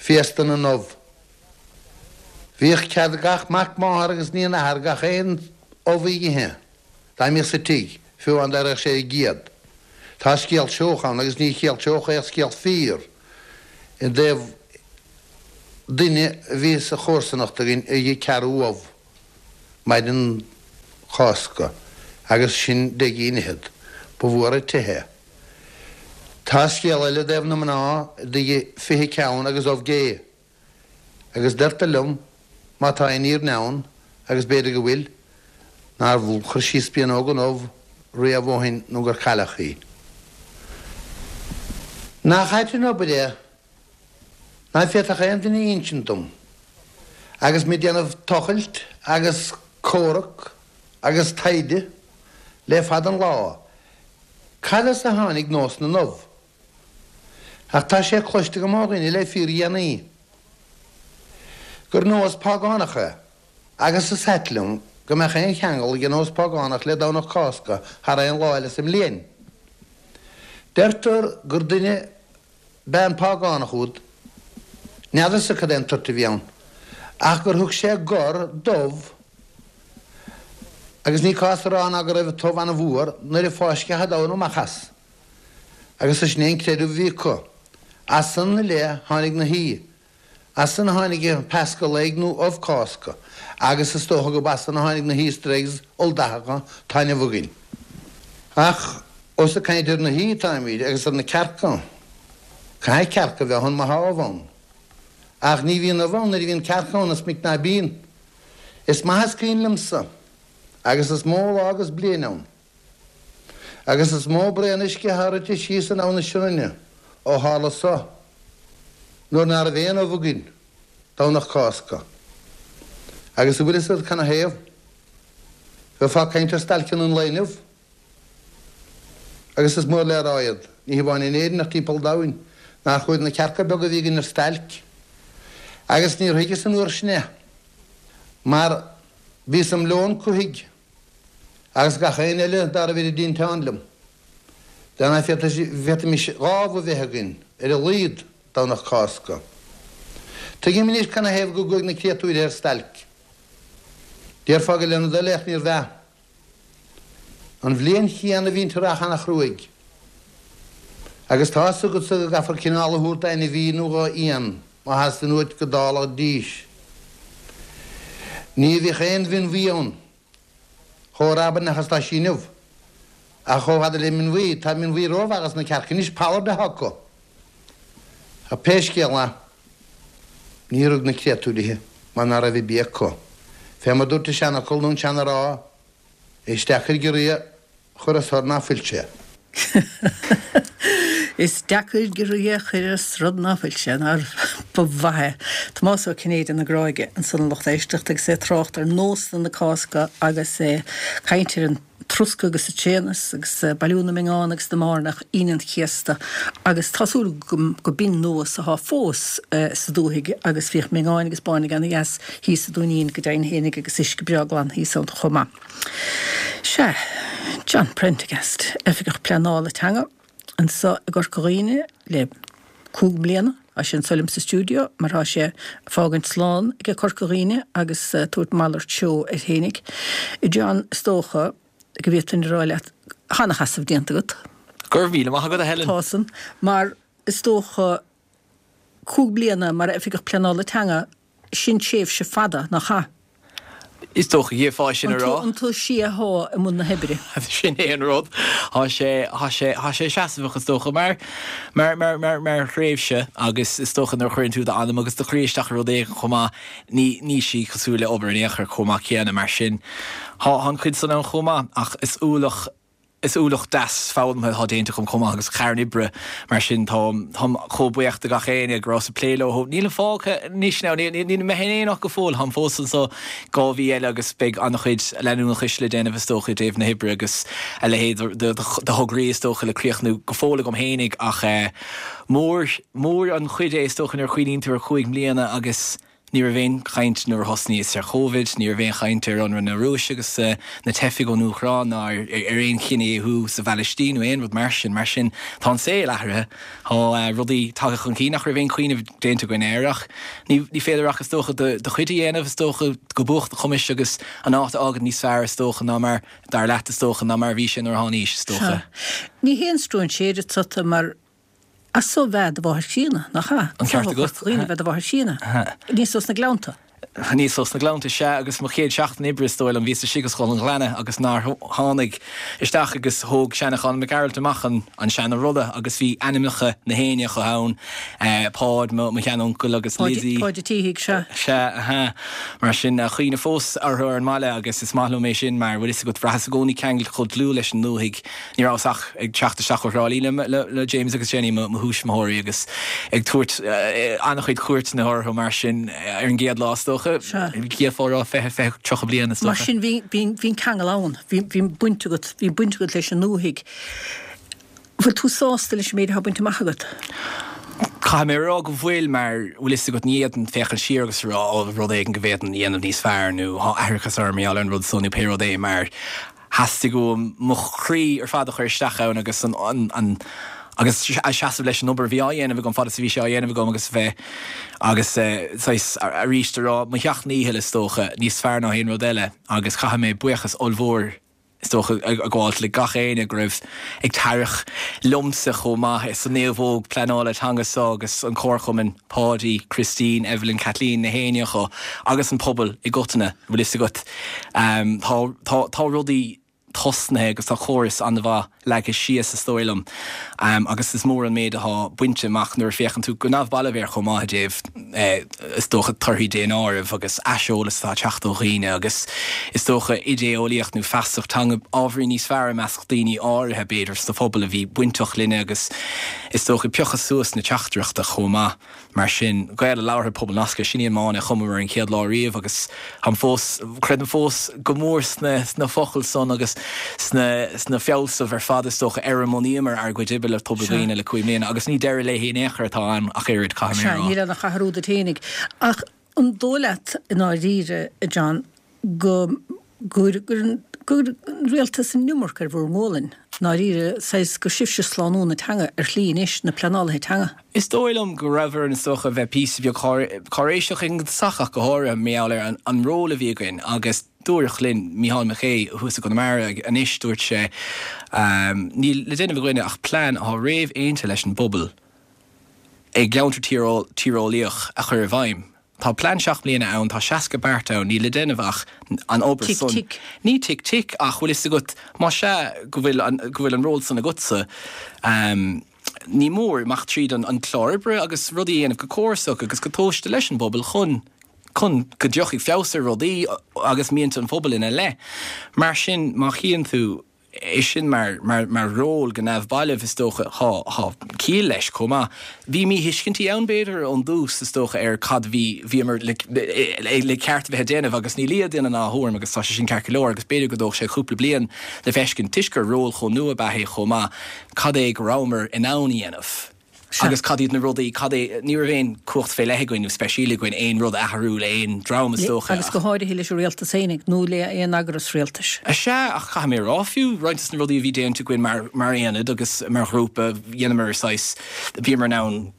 Féasta na nUbh. Bhíodh cead ag gach mac máthar agus iníon athar gach aon ubh a ithe dá mbíodh sa tigh, fiú amháin dá raibh sé ar an gcéad. Tá scéal seoch ann, agus ní scéal seoch é ach scéal fíor, i dtaobh duine a bhí sa chomharsanacht againn a ith ceathrú ubh. Maidin Chásca agus sin deich gcinn fhichead. Ba mhór an teitheadh é. Tá scéal eile i dtaobh na mná a d'ith fiche ceann agus ubh gé. Agus deirtear liom, má tá aon fhírinne ann, agus b'fhéidir go bhfuil, nár chuir sí spíonóg den ubh riamh ó shin nó gur cailleadh í. Nach ait an obair é ná féadfadh aon duine a insint dom, agus mé ag déanamh tochailt agus comhrac agus taighde le fada an lá, cad as a tháinig nós na n-ubh. Ach tá sé cloiste agam ó dhaoine le fíordhéanaí gur nós págánach é, agus is ait liom go mbeadh aon cheangal ag an nós págánach le Domhnach Cásca thar aon lá eile sa mbliain. Deirtear gur duine ab ea an págánach úd, n'fheadarsa cad é an toirt a bhí ann, ach gur thug sé gor d'ubh, agus ní cás a rá ná go raibh an t-ubh an-mhór nuair a fáisceadh an damhna amach as. Agus sin é an creideamh a bhí acu. As san i leith tháinig na huibhe. As san a tháinig an Paschal Egg nó Ubh Cásca, agus is dócha gurb as san a tháinig na hEaster Eggs ioldathacha atá inniu againn. Ach ós ag caint ar na huibhe atáimid agus ar na cearca, caithfidh cearca a bheith ann má thá ubh ann. Ach ní bhíonn ubh ann nuair a bhíonn cearca ann, is minic ná bíonn. Is maith is cuimhin liomsa, agus is mó lá agus bliain ann, agus is mó braon uisce atá rite síos in Abha na Sionainne ó tharla so, nuair ná raibh aon ubh againn Domhnach Cásca. Agus an bhfuil fhios agat canathaobh? Bheifeá ag caint ar stailceanna an lae inniu. Agus is mór le rá iad, ní hamháin in Éirinn ach timpeall an domhain, nár chuaigh na cearca beaga a bhí againn ar stailc. Agus níor thuigeas an uair sin é, mar bhíos im leon cuthaigh agus gach aon eile dá raibh ar an dtinteán liom. Dá bhféadfaimis dhá ubh a bheith againn, ar a laghad, Domhnach Cásca. Tuigim anois canathaobh go gcuaigh na créatúir ar stailc. Déarfá gur lena dtoil é ach níorbh ea. An bhliain chéanna bhí an t-earrach ana-chruaidh. Agus tá fhios agatsa go gcaithfear cineál a thabhairt d'ainmhí nó dho éan má theastaíonn uait go dtarlóidís. Ní bhíodh aon mhin bhuí ann chomh rabraineach is atá sí inniu. Ach chomh fada le min bhuí, tá min bhuí rómhaith dos na cearca anois, pollard atá acu. Ach pé scéal é, níor rug na créatúirithe mar ná raibh bia acu. Fé mar dúirt an seanfhocal nó an seana-rá, Is deacair giorria a chur as rud ná fuil sé. Is deacair giorria a chur as rud ná fuil sé, nár ba mhaith é. Tomás Ó Cinnéide na Gráige ansan a lucht éisteachta agus é ag trácht ar nósanna na Cásca agus é ag caint ar an troscadh agus an tséanas agus bailiú na mionngán agus na mbairneach Aoine an Chéasta agus tá súil agam go b'in nós athá fós sa dúthaigh agus bhíodh miongáin agus bairnigh ana dheas thíos sa Dúinín go deimhin fhéinig agus uisce breá glan thíos ann chomh maith. Sea, John Prendergast, Oifigeach Pleanála Teanga anso i gCorca Dhuibhne le cúig mbliana, tá sé anso liom sa stiúideo mar tá sé ag fágaint slán aige Corca Dhuibhne agus tabhairt malairt seó air fhéinig. John, is dócha go bhféadfainn a rá leat, tá ana-sheasamh déanta agat. Go raibh míle maith agat, a Helen. Tá san, mar is dócha cúig bliana mar Oifigeach Pleanála Teanga, sin tréimhse fada, nach ea? Is dócha gheofá sin a rá. An tú sia thá i mbun na hoibre. Sin é an rud. Thá sé, thá sé, thá sé seasamhach is dócha mar, mar, mar, mar, mar thréimhse agus is dócha nuair a chuireann tú d'anam agus do chroí isteach i rud éigin chomh maith, ní, ní sí cosúil le obair in aon chor chomh maith céanna mar sin. Thá, thá an chuid san ann chomh maith ach is ualach, Is ualach deas foghlamtha atá déanta agam chomh maith agus carn oibre mar sin táim chomh buíoch de gach éinne go rabhas ag plé leo. Nílim fágtha anois now, níl mé in aon áit go fóill, táim fós anso dhá mhí eile agus beidh an-chuid leanúnachais le déanamh is dócha i dtaobh na hoibre agus a leithéid de thograí is dócha le críochnú go fóill agam fhéinig ach mór mór an chuid é is dócha nuair a chuimhníonn tú ar chúig mbliana agus Ní raibh aon chaint nuair a thosnaíos ar Chovid, ní raibh aon chaint ar ionradh na Rúise agus na teifigh ón Úcráin ná ar aon chinedhíothú sa Phalaistín nó aon rud mar sin. Mar sin, tá an saol athraithe, tá rudaí tagtha chun cinn nach raibh aon chuimhneamh déanta againn air ach ní féidir ach is dócha do chuid a dhéanamh is dócha go buach do chumais agus an áit a fhágaint níos fearr is dócha ná mar, dar leat is dócha, ná mar a bhí sé nuair a thánaís is dócha. Ní haon stróinséir tusa mar As so ab ea do mháthair chríonna, nach ea? An ceart agat. Dhaoine ab ea do mháthair chríonna. Aníos ós na Gleannta. Aníos ós na Gleannta, sea, agus mo chéad seachtain oibre is dóigh liom, bhíos istigh i Scoil an Ghleanna agus nár tháinig isteach agus thóg seana-Chonn Mac Gearailt amach an an seana-rolla agus bhí ainmneacha na héinne acu ann, Páid, mo mo shean-uncail agus Lizzie. Páid a' tSíthigh, sea. Sea, aha. Mar sin, cuimhne fós orthu ar an mbaile agus is maith liom é sin mar, bhfuil fhios agat, bhraitheas i gcónaí ceangailte chomh dlúth leis an ndúthaigh. Ní rabhas ach ag teacht isteach ó Thrá Lí le le James agus Jenny, mo mo thuismitheoirí agus ag tabhairt an-chuid cuairteanna orthu mar sin ar an gcéad lá is dócha. D'fhéadfá a rá fiche, fiche, tríocha bliain is Mar dócha. sin bhí bhí bhí an ceangal ann, bhí bhí baint agat, bhí baint agat leis an ndúthaigh. Bhfuil tú sásta leis an méid atá bainte amach agat? Caithfidh mé a rá go bhfuil mar bhfuil fhios agat ní fhéadfainn féachaint siar agus a rá ó rud éigin go bhféadfainn a dhéanamh níos fearr nó tá aithreachas orm mar gheall ar an rud so nó pé rud é mar theastaigh uaim mo chroí ar fad a chur isteach ann agus an an an agus a seasamh leis an obair a bhí á dhéanamh agam fad is a bhí sé á dhéanamh agam agus bheith agus saghas arís a rá mo sheacht ndícheall is dócha níos fearr ná aon rud eile agus caithfidh mé buíochas ollmhór is dócha a ghabháilt le gach éinne go raibh ag tarrac liomsa chomh maith sa naomhóg pleanála teanga seo agus an Comharchumann, Páidí, Christine, Evelyn, Kathleen, na héinne acu agus an pobal i gcoitinne, bhfuil fhios agat. Tá tá tá rudaí tosnaithe agus tá córas an-mhaith leagtha síos is dóigh liom agus is mór an méid atá bainte amach nuair a féachann tú go neamhbalbh air chomh maith i dtaobh is dócha torthaí daonáirimh agus aiseolas atá ag teacht ó dhaoine agus is dócha idé-eolaíocht nó feasacht teanga ábhairín níos fearr i measc daoine áirithe b'fhéidir sa phobal a bhí bainteach linne agus is dócha piocadh suas na teachtaireachta chomh maith. Mar sin, Gael a labhartha Pobal Nasctha, sin í an máine a chumamar an chéad lá riamh agus táim fós, creidim fós go mór sna, sna focail san agus sna, sna fealsaimh ar fad is dócha ar a mbunaíomar ár gcuid oibre le Tobar Dhuibhne le cúig mbliana agus ní deireadh léi in aon chor atá ann ach oiread, caithfidh mé a Sea, rá. níl ann ach athrú duit fhéinig. Ach an dóigh leat i ndáiríre, a John, go gcuireann an rialtas an iomarca ar bhur ngualainn, i ndáiríre, saghas gur sibhse slánú na teanga ar shlí anois, na pleanálaithe teanga? Is dóigh liom go raibh orainn is dócha bheith píosa beag cáiréiseach ag an dtosach ach go háirithe mar gheall ar an ról a bhí againn agus dúradh linn, Mícheál Mac Aoidh thuas i gConamara anois, dúirt sé, níl le déanamh againne ach plean atá réamhaontaithe leis an bpobal i gceantar tíreolaíoch a chur i bhfeidhm. Tá plean seacht mbliana ann, tá seasca beart ann, níl le déanamh ach an obair Tic san. tic. Ní tic tic ach bhfuil fhios agat, más ea go bhfuil an, go bhfuil an ról san agatsa, ní mór imeacht tríd an, an clár oibre agus rudaí a dhéanamh go córasach agus go tomhaiste leis an bpobal chun, chun go dtiocfaidh feabhas ar rudaí agus mianta an phobail ina leith. Mar sin, má chíonn tú é sin mar, mar, mar ról go neamhbalbh, is dócha, thá, thá ciall leis chomh maith. Bhí míthuiscintí ann, b'fhéidir, ón dtús, is dócha, ar cad bhí, bhíomar le, le ceart a bheith ag déanamh agus ní lia duine ná a thuairim agus tá sé sin ceart go leor agus b'fhéidir go dtóg sé cúpla bliain le feiscint, toisc gur ról chomh nua ab ea é chomh maith, cad é go rabhamar in ann a dhéanamh. Sea. Agus cad iad na rudaí, cad é, ní raibh aon cumhacht fé leith againn nó speisialta againn aon rud a athrú le aon dream is dócha Agus go háirithe leis an rialtas fhéinig nó le aon eagras rialtais. Sea, ach caithfidh mé a rá, fiú roinnt de na rudaí a bhí déanta againn mar, mar aonad agus mar ghrúpa, dheineamar saghas, bhíomar in ann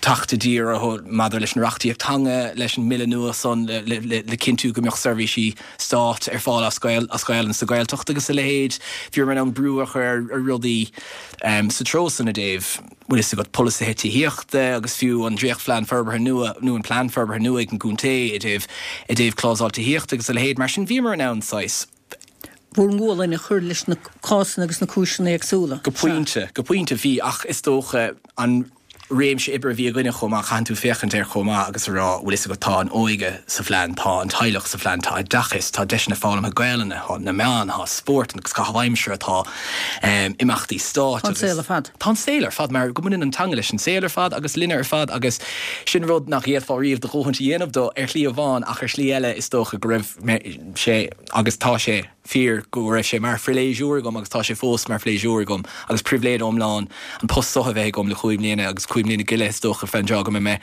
teacht i dtír orthu maidir leis an reachtaíocht teanga, leis an mbille nua san le, le, le, le cinntiú go mbeadh seirbhísí stáit ar fáil as Gael, as Gaelainn sa Ghaeltacht agus a leithéid. Bhíomar in ann brú a chur ar, ar rudaí sa treo san i dtaobh, bhfuil fhios agat, polasaithe tithíochta agus fiú an dréachtphlean forbartha nua nó an plean forbartha nua ag an gcontae i dtaobh i dtaobh clásáil tithíochta agus a leithéid. Mar sin bhíomar in ann saghas. bhur ngualainn a chur leis na cásanna agus na cúiseanna éagsúla. Go pointe, go pointe bhí ach is dócha an réimse oibre a bhí againne chomh maith, caitheann tú féachaint air chomh maith agus a rá, bhfuil fhios agat, tá an óige sa phlean, tá an teaghlach sa phlean, tá oideachas, tá deiseanna foghlamtha Gaelainne, tá na meáin, tá spórt agus caitheamh aimsire, tá imeachtaí stáit Tá an saol ar fad. Tá an saol ar fad mar go mbaineann an teanga leis an saol ar fad agus linne ar fad agus sin rud nach bhféadfá riamh do dhóthaint a dhéanamh dó ar shlí amháin ach ar shlí eile is dócha go raibh sé agus tá sé fíor go raibh sé mar phléisiúr agam agus tá sé fós mar phléisiúr agam agus pribhléid iomlán an post seo a bheith agam le cúig mbliana agus cúig mbliana go leith is dócha fén dtráth go mbeidh mé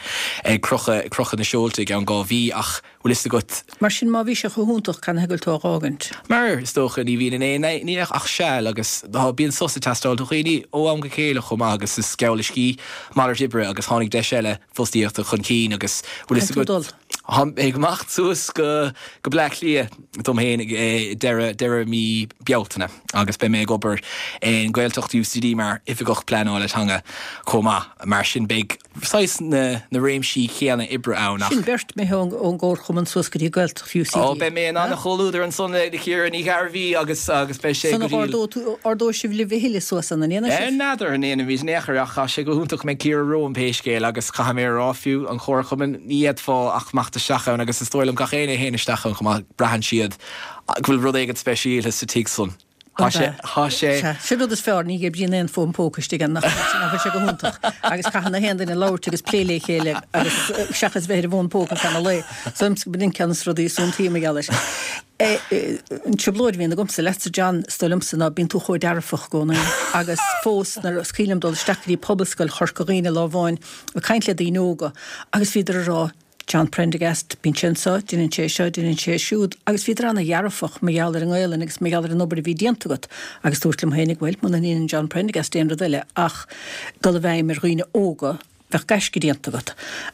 ag crochadh ag crochadh na seolta i gceann dhá mhí ach bhfuil fhios agat. Mar sin má bhí sé chomh hiontach canathaobh go bhfuil tú á dh'fhágaint? Mar is dócha ní bhíonn in aon ní ach seal agus tá bíonn sos ag teastáil do dhaoine ó am go chéile chomh maith agus is geall le scíth malairt oibre agus tháinig deis eile fostaíochta chun cinn agus bhfuil fhios Caithfidh tú agat dul. Tá mé ag imeacht suas go go Bleá Cliath dom féin ag deireadh deireadh mí Bealtaine agus beidh mé ag obair in Gaeltacht U C D mar oifigeach pleanála teanga chomh maith. Mar sin beidh saghas na na réimsí céanna oibre ann ach. Sin beirt imithe ón gComharchumann suas go dtí Gaeltacht U C D. Ó beidh mé in an-chomhluadar ansan le Ciara Ní Ghairbhí agus agus beidh sé go dtí. Ardóidh sibh libh a thuilleadh suas an ndéanfaidh sibh? N'fheadar an ndéanfaimid in aon chor ach tá sé go hiontach go mbeidh Ciara romham pé scéal agus caithfidh mé a rá fiú an Chomharchumann ní fhéadfá ach imeacht isteach ann agus is dóigh liom gach éinne a théann isteach ann chomh maith braitheann siad go bhfuil rud éigin speisialta sa tigh san. Tá sé tá sé. Sin rud is fearr, ní oibríonn aon fón póca istigh ann nach bhfuil sé go hiontach agus caitheann na haon duine labhairt agus plé le chéile agus seachas bheith ar an bhfón póca feadh an lae. So b'in ceann de na rudaí is iontaí mar gheall air. An trioblóid a bhíonn agamsa leatsa John is dóigh liomsa ná bíonn tú chomh dearfach i gcónaí agus fós nuair is cuimhin liom dul isteach go dtí Pobalscoil Chorca Dhuibhne lá amháin ag caint le daoine óga agus bhíodar ag rá John Prendergast, bíonn sé anseo, déanann sé seo, déanann sé siúd agus bhíodar ana-dhearfach mar gheall ar an nGaelainn agus mar gheall ar an obair a bhí déanta agat agus dúirt liom féinig bhuel muna ndéanann John Prendergast aon rud eile ach dul i bhfeidhm ar dhaoine óga bheadh gaisce déanta agat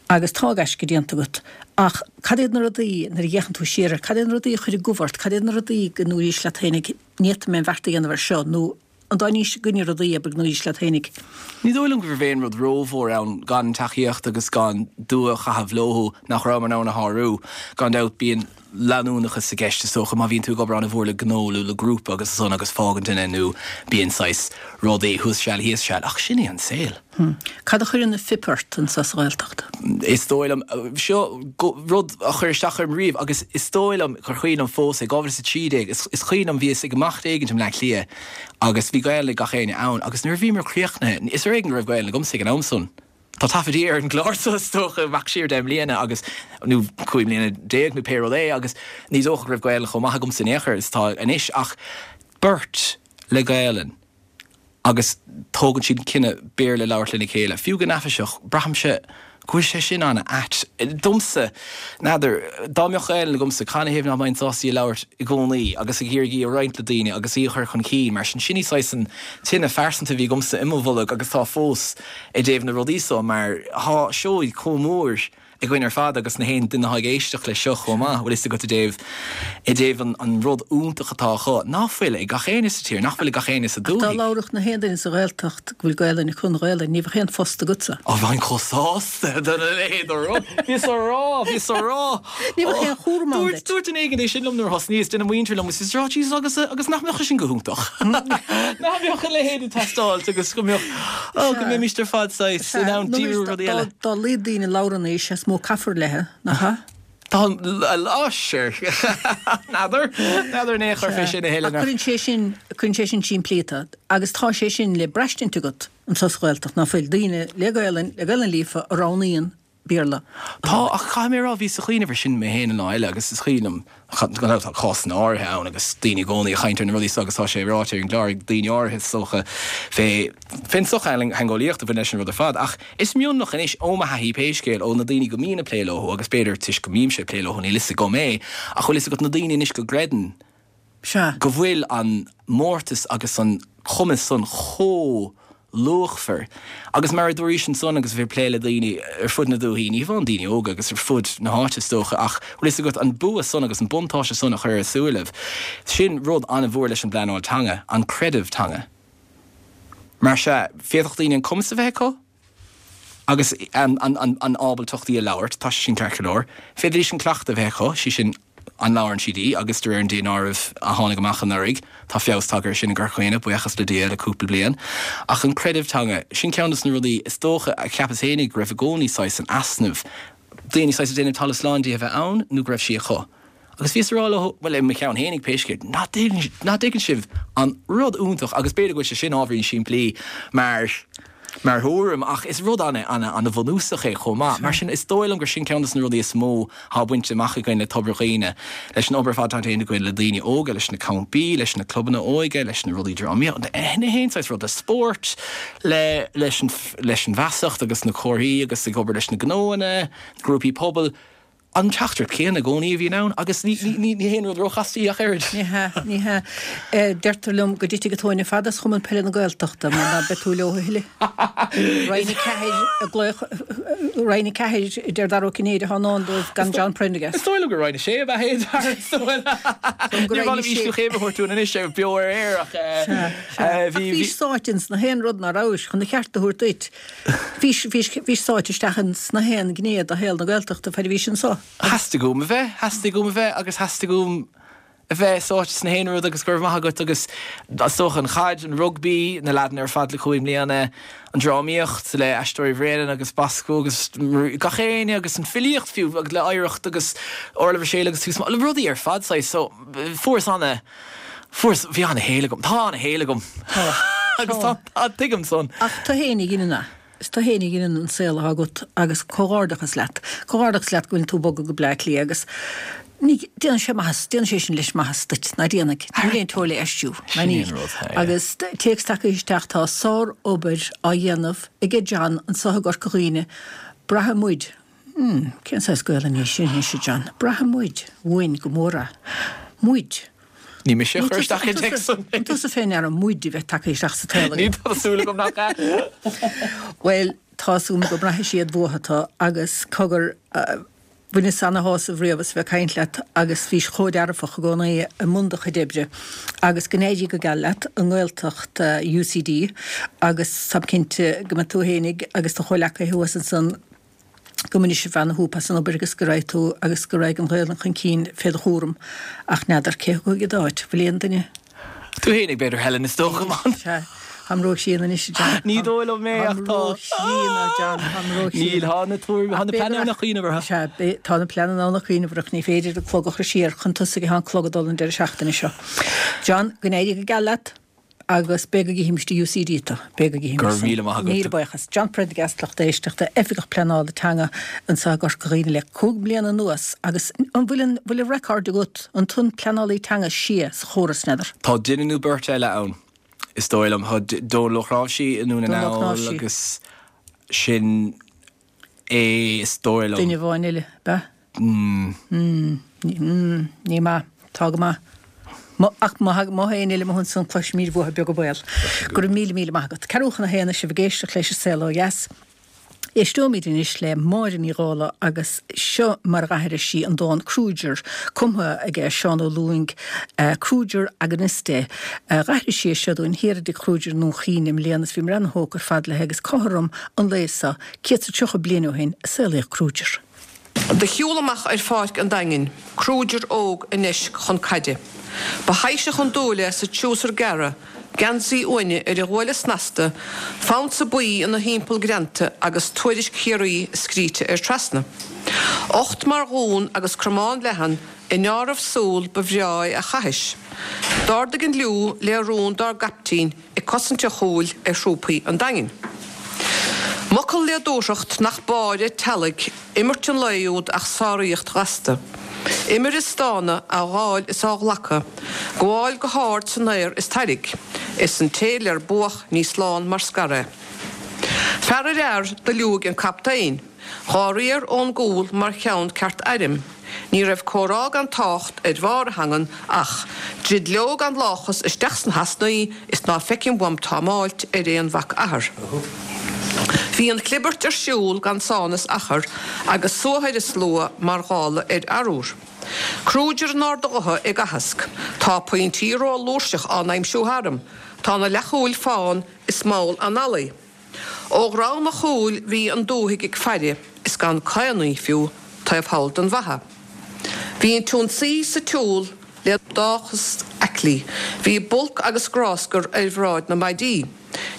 agus tá gaisce déanta agat ach cad iad na rudaí nuair a fhéachann tú siar air, cad iad na rudaí a chuir i gcumhacht ort, cad iad na rudaí go ndúraís leat féinig ní fhéadfaidh mé an bheart a dhéanamh ar seo nó an dá níos gcoinne rudaí abair go ndúraís leat féinig. Ní dóigh liom go raibh aon rud rómhór ann gan tacaíocht agus gan dua a chaitheamh leo nach raibh in ann a shárú. Gan dabht bíonn leanúnachas i gceist is dócha má bhíonn tú ag obair an-mhór le gnó nó le grúpa agus san agus fágann duine nó bíonn saghas rudaí thuas seal thíos seal ach sin é an saol. Hmm. Cad a chuireann an phip ort anseo sa Ghaeltacht? Is dóigh liom seo rud a chuir isteach orm riamh agus is dóigh liom gur cuimhin liom fós é dhá mhíle is a trí déag is is cuimhin liom bhíos ag imeacht éigin i mBleá Cliath agus bhí Gaeilge ag gach éinne ann agus nuair a bhíomar críochnaithe is ar éigean go raibh Gaeilge agamsa ag an am san. Tá taifeadtaí ar an gclár seo is dócha amach siar deich mbliana agus nó cúig mbliana déag nó pé rud é agus ní dócha go raibh Gaeilge chomh maith agamsa in aon chor is tá anois ach beirt le Gaelainn agus tógann siad cinneadh Béarla labhairt lena chéile. Fiú go neafaiseach braithimse go bhfuil sé sin an-ait. Domsa n'fheadar dá mbeadh Gaeilge agamsa canathaobh nach mbeinn sásta í a labhairt i gcónaí agus ag iarraidh í a roinnt le daoine agus í a chur chun cinn mar sin sin í saghas an tine phearsanta a bhí agamsa i mo bholg agus tá fós i dtaobh na rudaí seo mar tá seoid chomh mór againn ar fad agus na haon duine atá ag éisteacht leis seo chomh maith bhfuil fhios agat i dtaobh i dtaobh an, an rud iontach atá acu nach bhfuil ag gach éinne sa tír nach bhfuil ag gach éinne sa Dá dúthaigh. labhródh na haon duine sa Ghaeltacht go bhfuil Gaelainn acu an Ghaelainn, ní bheadh aon phost agatsa. Ó bheinn chomh sásta don leithéid de rud. Bhíos á rá, bhíos á rá. Ní bheadh aon chúram ann Dúirt duit. dúirt duine éigin é sin liom nuair a thosnaíos duine muinteartha liom agus rá Jesus agus agus nach mbeadh sin go hiontach. Nach mbeadh a leithéid ag teastáil agus go mbeadh ó go mbeimis ar fad saghas in ann díriú rudaí eile. Dá laghad daoine labhrann í is mó caithfear léi, nach ea? Tá lá sure. N'fheadar n'fheadar in aon chor fé sin a Ach thuilleadh. cuireann sé sin cuireann sé sin simplíta agus tá sé sin le braistint agat anseo sa Ghaeltacht ná fuil daoine le Gaelainn le Gaelainn líofa a roghnaíonn Béarla. Tá ach caithfidh mé a rá bhíos ag cuimhneamh air sin mé féin an lá eile agus is cuimhin liom gan tá cásanna áirithe ann agus daoine i gcónaí ag caint ar na rudaí seo agus tá sé ráite ar an gclár ag daoine áirithe is dócha fé fén sochtheangeolaíocht a bhain leis an rud ar fad ach is mionlach anois ó mo thaithí pé scéal ó na daoine go mbím ag plé leo agus b'fhéidir toisc go mbímse ag plé leo níl fhios agam é ach bhfuil fhios agat na daoine anois go gcreideann Sea. go bhfuil an mórtas agus an cumas san chomh luachmhar. Agus mar a dúraís ansan agus bhí plé le daoine ar fud na dúthaí, ní hamháin daoine óga agus ar fud na háite is dócha ach bhfuil fhios agat an bua san agus an buntáiste san a chur ar a súilibh. Sin rud an-mhór leis an bpleanáil teanga, an creideamh teanga. Mar se féadfadh daoine an cumas a bheith acu? Agus an, an, an, an ábaltacht í a labhairt, tá sé sin ceart go leor. Féadfaidís an cleachtadh a bheith acu, sé sin an labhrann siad í agus de réir an daonáirimh a tháinig amach anuraidh, tá feabhas tagtha air sin i gCorca Dhuibhne, buíochas le Dia le cúpla bliain. Ach an creideamh teanga, sin ceann de na rudaí is dócha a cheapas féinig go raibh i gcónaí saghas an easnamh. Daoine saghas ag déanamh talamh slán di a bheith ann nó go raibh sí acu. Agus bhíos ag rá leo well i mo cheann féinig pé scéal, nach dtuigeann sibh an rud iontach agus b'fhéidir go bhfuil sé sin ábhairín simplí mar mar thuairim ach is rud an an an-bhunúsach é chomh maith. Mar sin is dóigh liom gur sin ceann de na rudaí is mó atá bainte amach againn le Tobar Dhuibhne, leis an obair fad déanta againn le daoine óga, leis na campaí, leis na clubanna óige, leis na rudaí drámaíochta, na haon saghas rud le spórt, le leis an leis an bhfeasacht agus na comharthaí agus ag obair leis na gnóanna, grúpaí pobail, An teachtaireacht céanna i gcónaí a bhíonn ann agus ní ní ní haon rud róchasta í ach oiread. Ní hea, ní hea. Deirtear liom go dtitfidh an tóin ar fad as Chumann Peile na Gaeltachta mar ná beidh tú leo a thuilleadh. Roinn a ceathair ag glaoch, Roinn a ceathair a deir Dara Ó Cinnéide atá i ndán dóibh gan John Prendergast. Is dóigh liom gur Roinn a sé ab ea é, Dara, is dóigh liom. Níor mhaith liom ísliú céime a thabhairt dúinn anois ar beo ar aer ach bhí. Ach bhís sáite ins na haon rud ná rabhais chun an cheart a thabhairt duit. Bhís, bhís, bhís sáite isteach ins na haon ghné de shaol na Gaeltachta fad a bhís anso. Theastaigh uaim a bheith, theastaigh uaim a bheith agus theastaigh uaim a bheith sáite sna haon rud agus go raibh maith agat agus is dócha an chaid, an rugbaí, na leaideanna ar fad le cúig mbliana, an drámaíocht le Aisteoirí Bhréanainn agus Bosco agus gach éinne agus an filíocht fiú agus le Oidhreacht agus Orla Mhichelle agus Tús le rudaí ar fad saghas so fuaireas ana, fuaireas, bhí ana shaol agam, tá ana shaol agam. Tá. Agus tá, tá, tuigim san. Ach tú fhéin a dheineann é. Is tú féin a dheineann an saol atá agat agus comhghairdeachas leat. Comhghairdeachas leat go bhfuil tú ag bogadh go Bleá Cliath agus ní, déanann sé maitheas, déanann sé sin leis maitheas duit, ná déanfaidh? Níl aon teora le aistriú, ná Sin níl. an rud, yeah. Agus téacs tagtha isteach, tá sár-obair á dhéanamh aige John anso i gCorca Dhuibhne. Braithfidh muid, hmm, cén saghas Gaelainn í sin anois, a John? Braithfidh muid uainn go mór é. Muid. Ní mise a chuir isteach an téacs san. An tusa fé ndeara muid a bheith tagtha isteach sa tsaol Ní tá súil agam nach ea. Bhuel, tá a fhios agam go mbraithfidh siad uathu tú agus cogar, bhaineas ana-shásamh riamh as a bheith ag caint leat agus bhís chomh dearfach i gcónaí i mbun do chuid oibre agus go n-éirí go geal leat i nGaeltacht UCD agus táim cinnte go mbeidh tú fhéinig agus do chomhleacaithe thuas ansan go mbainfidh sibh ana-shúp as an obair agus go raghaidh tú agus go raghaidh an Ghaelainn chun cinn fé do chúram ach n'fheadar cé thiocfaidh i d'áit, bhfuil aon duine? Tú fhéinig b'fhéidir Helen is dócha man. Sea, táim ró-chríonna anois a John. Ní dóigh liom é ach Táim tá. ró-chríonna a John, táim ró-chríonna. Níl, tá na tuairimí, tá na pleananna ann ach cuimhneamh orthu. Sea, beidh, tá na pleananna ann ach cuimhneamh orthu, ní féidir an clog a chur siar chun tosaigh atá an clog ag dul an deireadh seachtaine seo. John, go n-éirí go geal leat. Agus b'fhéidir go gcífimist i UCD tú. B'fhéidir go gcífimist Go raibh san. míle maith agat. Míle buíochas. John Prendergast, lucht éisteachta, Oifigeach Pleanála Teanga anseo i gCorca Dhuibhne le cúig bliana anuas agus an bhfuil an bhfuil an record agat, an tú an pleanálaí teanga is sia sa chóras, n'fheadar? Tá duine nó beirt eile ann, is dóigh liom. Tá Dónal Ó Cnáimhsí i nDún na Dónal Ó nGall Cnáimhsí. agus sin é is dóigh liom. Duine amháin eile, ab ea? Mm. Mm, ní maith. Tá go maith. Ach má tá éinne eile amuigh ansan cloisfimid uathu beag an baol. Go raibh míle míle maith agat. Ceathrú chun a haon sibh ag éisteacht leis an Saol Ó Dheas. Éisteoimid anois le Máire Ní Dhálaigh agus seo mar a d'aithris sí an dán Kruger, cumtha aige Seán Ó Lúing, Kruger Agoniste. D'aithris sí é seo dúinn thiar i dtigh Kruger i nDún Chaoin i mbliana is bhíomar ana-thógtha ar fad léi agus cothrom an lae seo, céad is tríocha bliain ó shin, a saolaíodh Kruger. Do shiúl amach ar pháirc an Daingin, Kruger óg i ndeisc chun caide. Ba thaibhseach an dúil é sa triúsar gearra, geansaí uaine ar a ghuaille snasta, fonsa buí ina thimpeall greanta agus tuairisc Chiarraí scríte air trasna. Ucht mar dhún agus cromán leathan, i ndeáramh súl ba bhreá é a chaithis. D'ardaigh an liú le rún dár gcaiptín ag cosaint a chúil ar thrúpaí an Daingin. M'fhocal le dúthracht nach báire teallaigh imirt an lae úd ach sáraíocht ghasta. Imir is stánadh, á ghabháil is á ghlacadh, gabháil go hard san aer is tairg, is an té ler buadh ní slán mar scar é. Fear ar fhear do liúigh an captaen, dhá riar ón gcúl mar cheann ceart airm. Ní raibh comhrá gan tácht ar bharr a theangan ach, druid leo gan láchas isteach sna heasnaí is ná feicim uaim támáilt ar aon mhac athar. Bhí an chlibirt ar siúl gan sán is achar agus suathadh ar an slua mar ghála ar arúr. Kruger in ard a ghutha ag aitheasc, Tá pointí ró-fhlúirseach á n-aimsiú tharam, tá na leathchúil fán is mall analaí. Ó dhroim a chúil bhí an dúthaigh ag faire is gan caonaí fiú taobh thall den bhfaiche. Bhí an t-ionsaí sa tsiúl le dóchas aiclí, bhí bulc agus gráscar ar bhráid na maidí.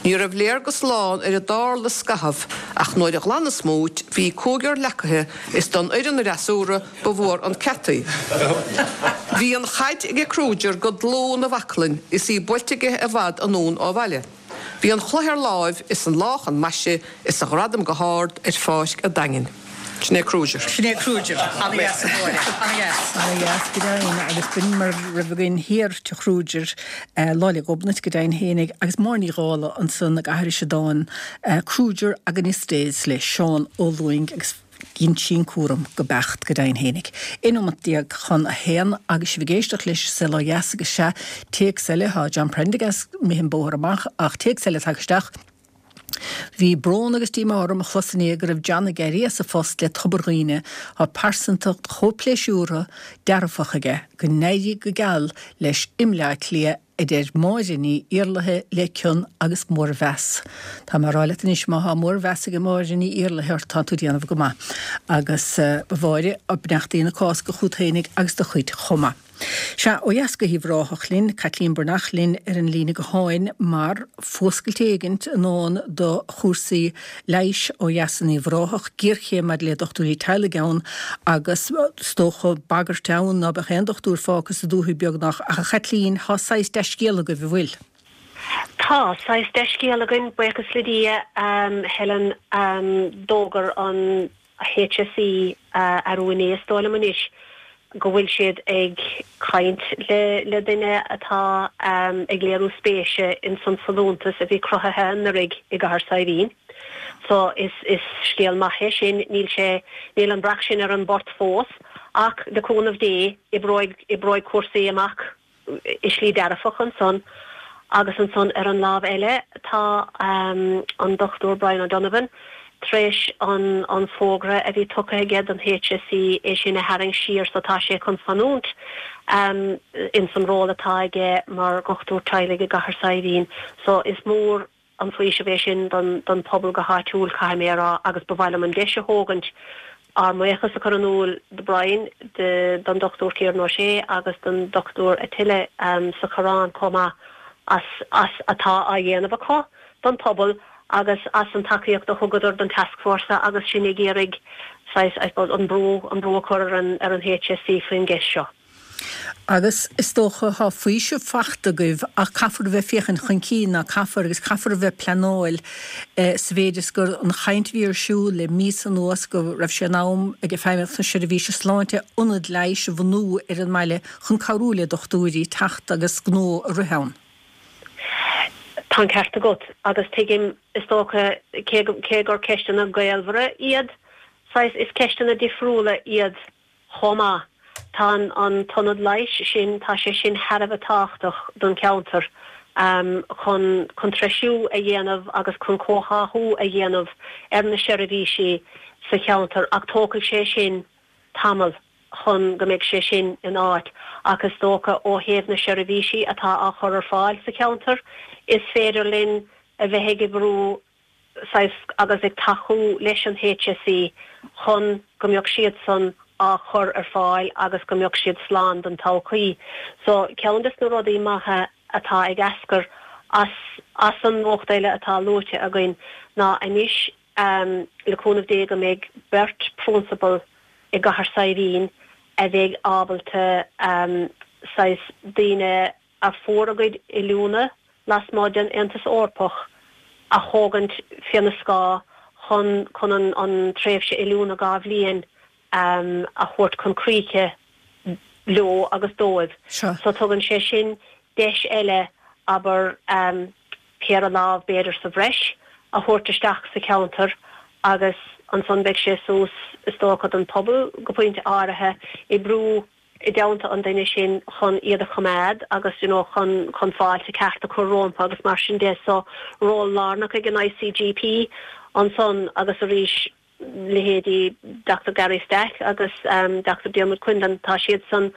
Ní raibh léargas lán ar a dtarla scaitheamh ach nuair a ghlan an smúit bhí cúigear leacaithe is don fhoireann fhreasúra ba mhór an ceataí. Bhí an chaid aige Kruger go dlúth ina bhaclainn is í buailte aige i bhfad anonn ó bhaile. Bhí an chloich ar láimh is an lá chun maise is a ghradam go hard ar pháirc a' Daingin. Sin é Kruger. Sin é Kruger. Ana-dheas, a Mháire. Ana-dheas. Ana-dheas go deimhin agus b'in mar a raibh againn thiar tigh Kruger, Lá 'le Gobnait go deimhin fhéinig agus Máire Ní Dhálaigh ansan ag aithris an dán Kruger Agonistes le Seán Ó Lúing agus Dhein sí an cúram go beacht go deimhin fhéinig. Aon nóimeat déag chun a haon agus sibh ag éisteacht leis Saol Ó Dheas agus sea, téacs eile, tá John Prendergast imithe an bóthar amach ach téacs eile tagtha isteach. Bhí brón agus díomá orm a chlos inné go raibh John ag éirí as a phost le Tobar Dhuibhne, tá pearsantacht chomh pléisiúrtha, dearfach aige, go n-éirí go geal leis i mBleá Cliath a deir Máire Ní Iarlaithe le cion agus mórmheas. Tá mé ag rá leat anois má thá mórmheas ag Máire Ní Iarlaithe ort tá tú ag déanamh go maith. Agus a Mháire, beannachtaí na Cásca chút fhéinig agus do chuid chomh maith. Sea, ó dheas go hUíbh Ráthach linn, Caitlín Breathnach linn ar an líne gutháin mar fuascailt éigint i ndán do chúrsaí leighis ó dheas in Uíbh Ráthach, géarchéim maidir le dochtúirí teaghlaigh ann agus is dócha bagairt ann ná beadh aon dochtúir fágtha sa dúthaigh beagnach. Ach a Chaitlín, thá saghas dea-scéal agaibh, an bhfuil? Tá saghas dea-scéal againn, buíochas le Dia, Helen, d'fhógair an HSE arú inné is dóigh liom anois, go bhfuil siad ag caint le le duine atá ag léiriú spéise ins an folúntas a bhí cruthaithe anuraidh i gCathair Saidhbhín. So is is scéal maith é sin. Níl sé níl an breac sin ar an bport fós ach le cúnamh Dé oibreoidh oibreoidh cúrsaí amach i slí dearfach ansan. Agus ansan ar an lámh eile tá an Dochtúir Brian O'Donovan tar éis an an fógra a bhí tugtha aige don HSE é sin a tharraingt siar so tá sé chun fanúint ins an ról atá aige mar dhochtúir teaghlaigh i gCathair Saidhbhín. So is mór an faoiseamh é sin don don pobal go háitiúil, caithfidh mé a rá, agus ba mhaith liom an deis a thógaint ár mbuíochas a chur in iúl do Brian, don Dochtúir Kieran O'Shea agus don Dochtúir Attila sa Choireán chomh maith as as atá á dhéanamh acu don phobal agus as an tacaíocht a thugadar don tascfhórsa agus sinn ag iarraidh saghas, I suppose, an brú an brú a chur ar an ar an HSE faoin gceist seo. Agus is dócha thá faoiseamh fachta agaibh ach caithfear a bheith féachaint chun cinn ná caithfear agus caithfear a bheith pleanáil sa mhéid is gur an chaint a bhí ar siúl le míosa anuas go raibh sé in am ag Feidhmeannacht na Seirbhíse Sláinte ionad leighis a bhunú ar an mbaile chun cabhrú le dochtúirí teacht agus gnó a rith ann. Tá an ceart agat agus tuigim is dócha cé cé gur ceisteanna gaolmhara iad, saghas is ceisteanna difriúla iad chomh maith. Tá an an t-ionad leighis sin, tá sé sin thar a bheith tábhachtach don cheantar chun chun treisiú a dhéanamh agus chun comhtháthú a dhéanamh ar na seirbhísí sa cheantar ach tógfaidh sé sin tamall chun go mbeidh sé sin in áit ach is dócha ó thaobh na seirbhísí atá á chur ar fáil sa cheantar, is féidir linn a bheith ag oibriú saghas agus ag tacú leis an HSE chun go mbeadh siadsan á chur ar fáil agus go mbeadh siad slán don todhchaí. So ceann des na rudaí maithe atá ag eascair as as an nuacht eile atá luaite againn ná anois le cúnamh Dé go mbeidh beirt phrionsabal i gCathair Saidhbhín a bheidh ábalta saghas daoine a fuair a gcuid oiliúna lasmuigh den Aontas Eorpach a thógaint faoina scáth chun chun an an tréimhse oiliúna dhá bhliain a thabhairt chun críche leo agus dóibh. So tugann sé sin deis eile abair péire lámh b'fhéidir sa bhreis a thabhairt isteach sa cheantar agus ansan beidh sé suas is dócha don phobal go pointe áirithe oibriú i dteannta an duine sin chun iad a choimeád agus you know chun chun fáilte ceart a chur rompu agus mar sin de so ról lárnach ag an ICGP ansan agus arís leithéidí Doctor Gary Stack agus Doctor Diarmuid Quinlan tá siadsan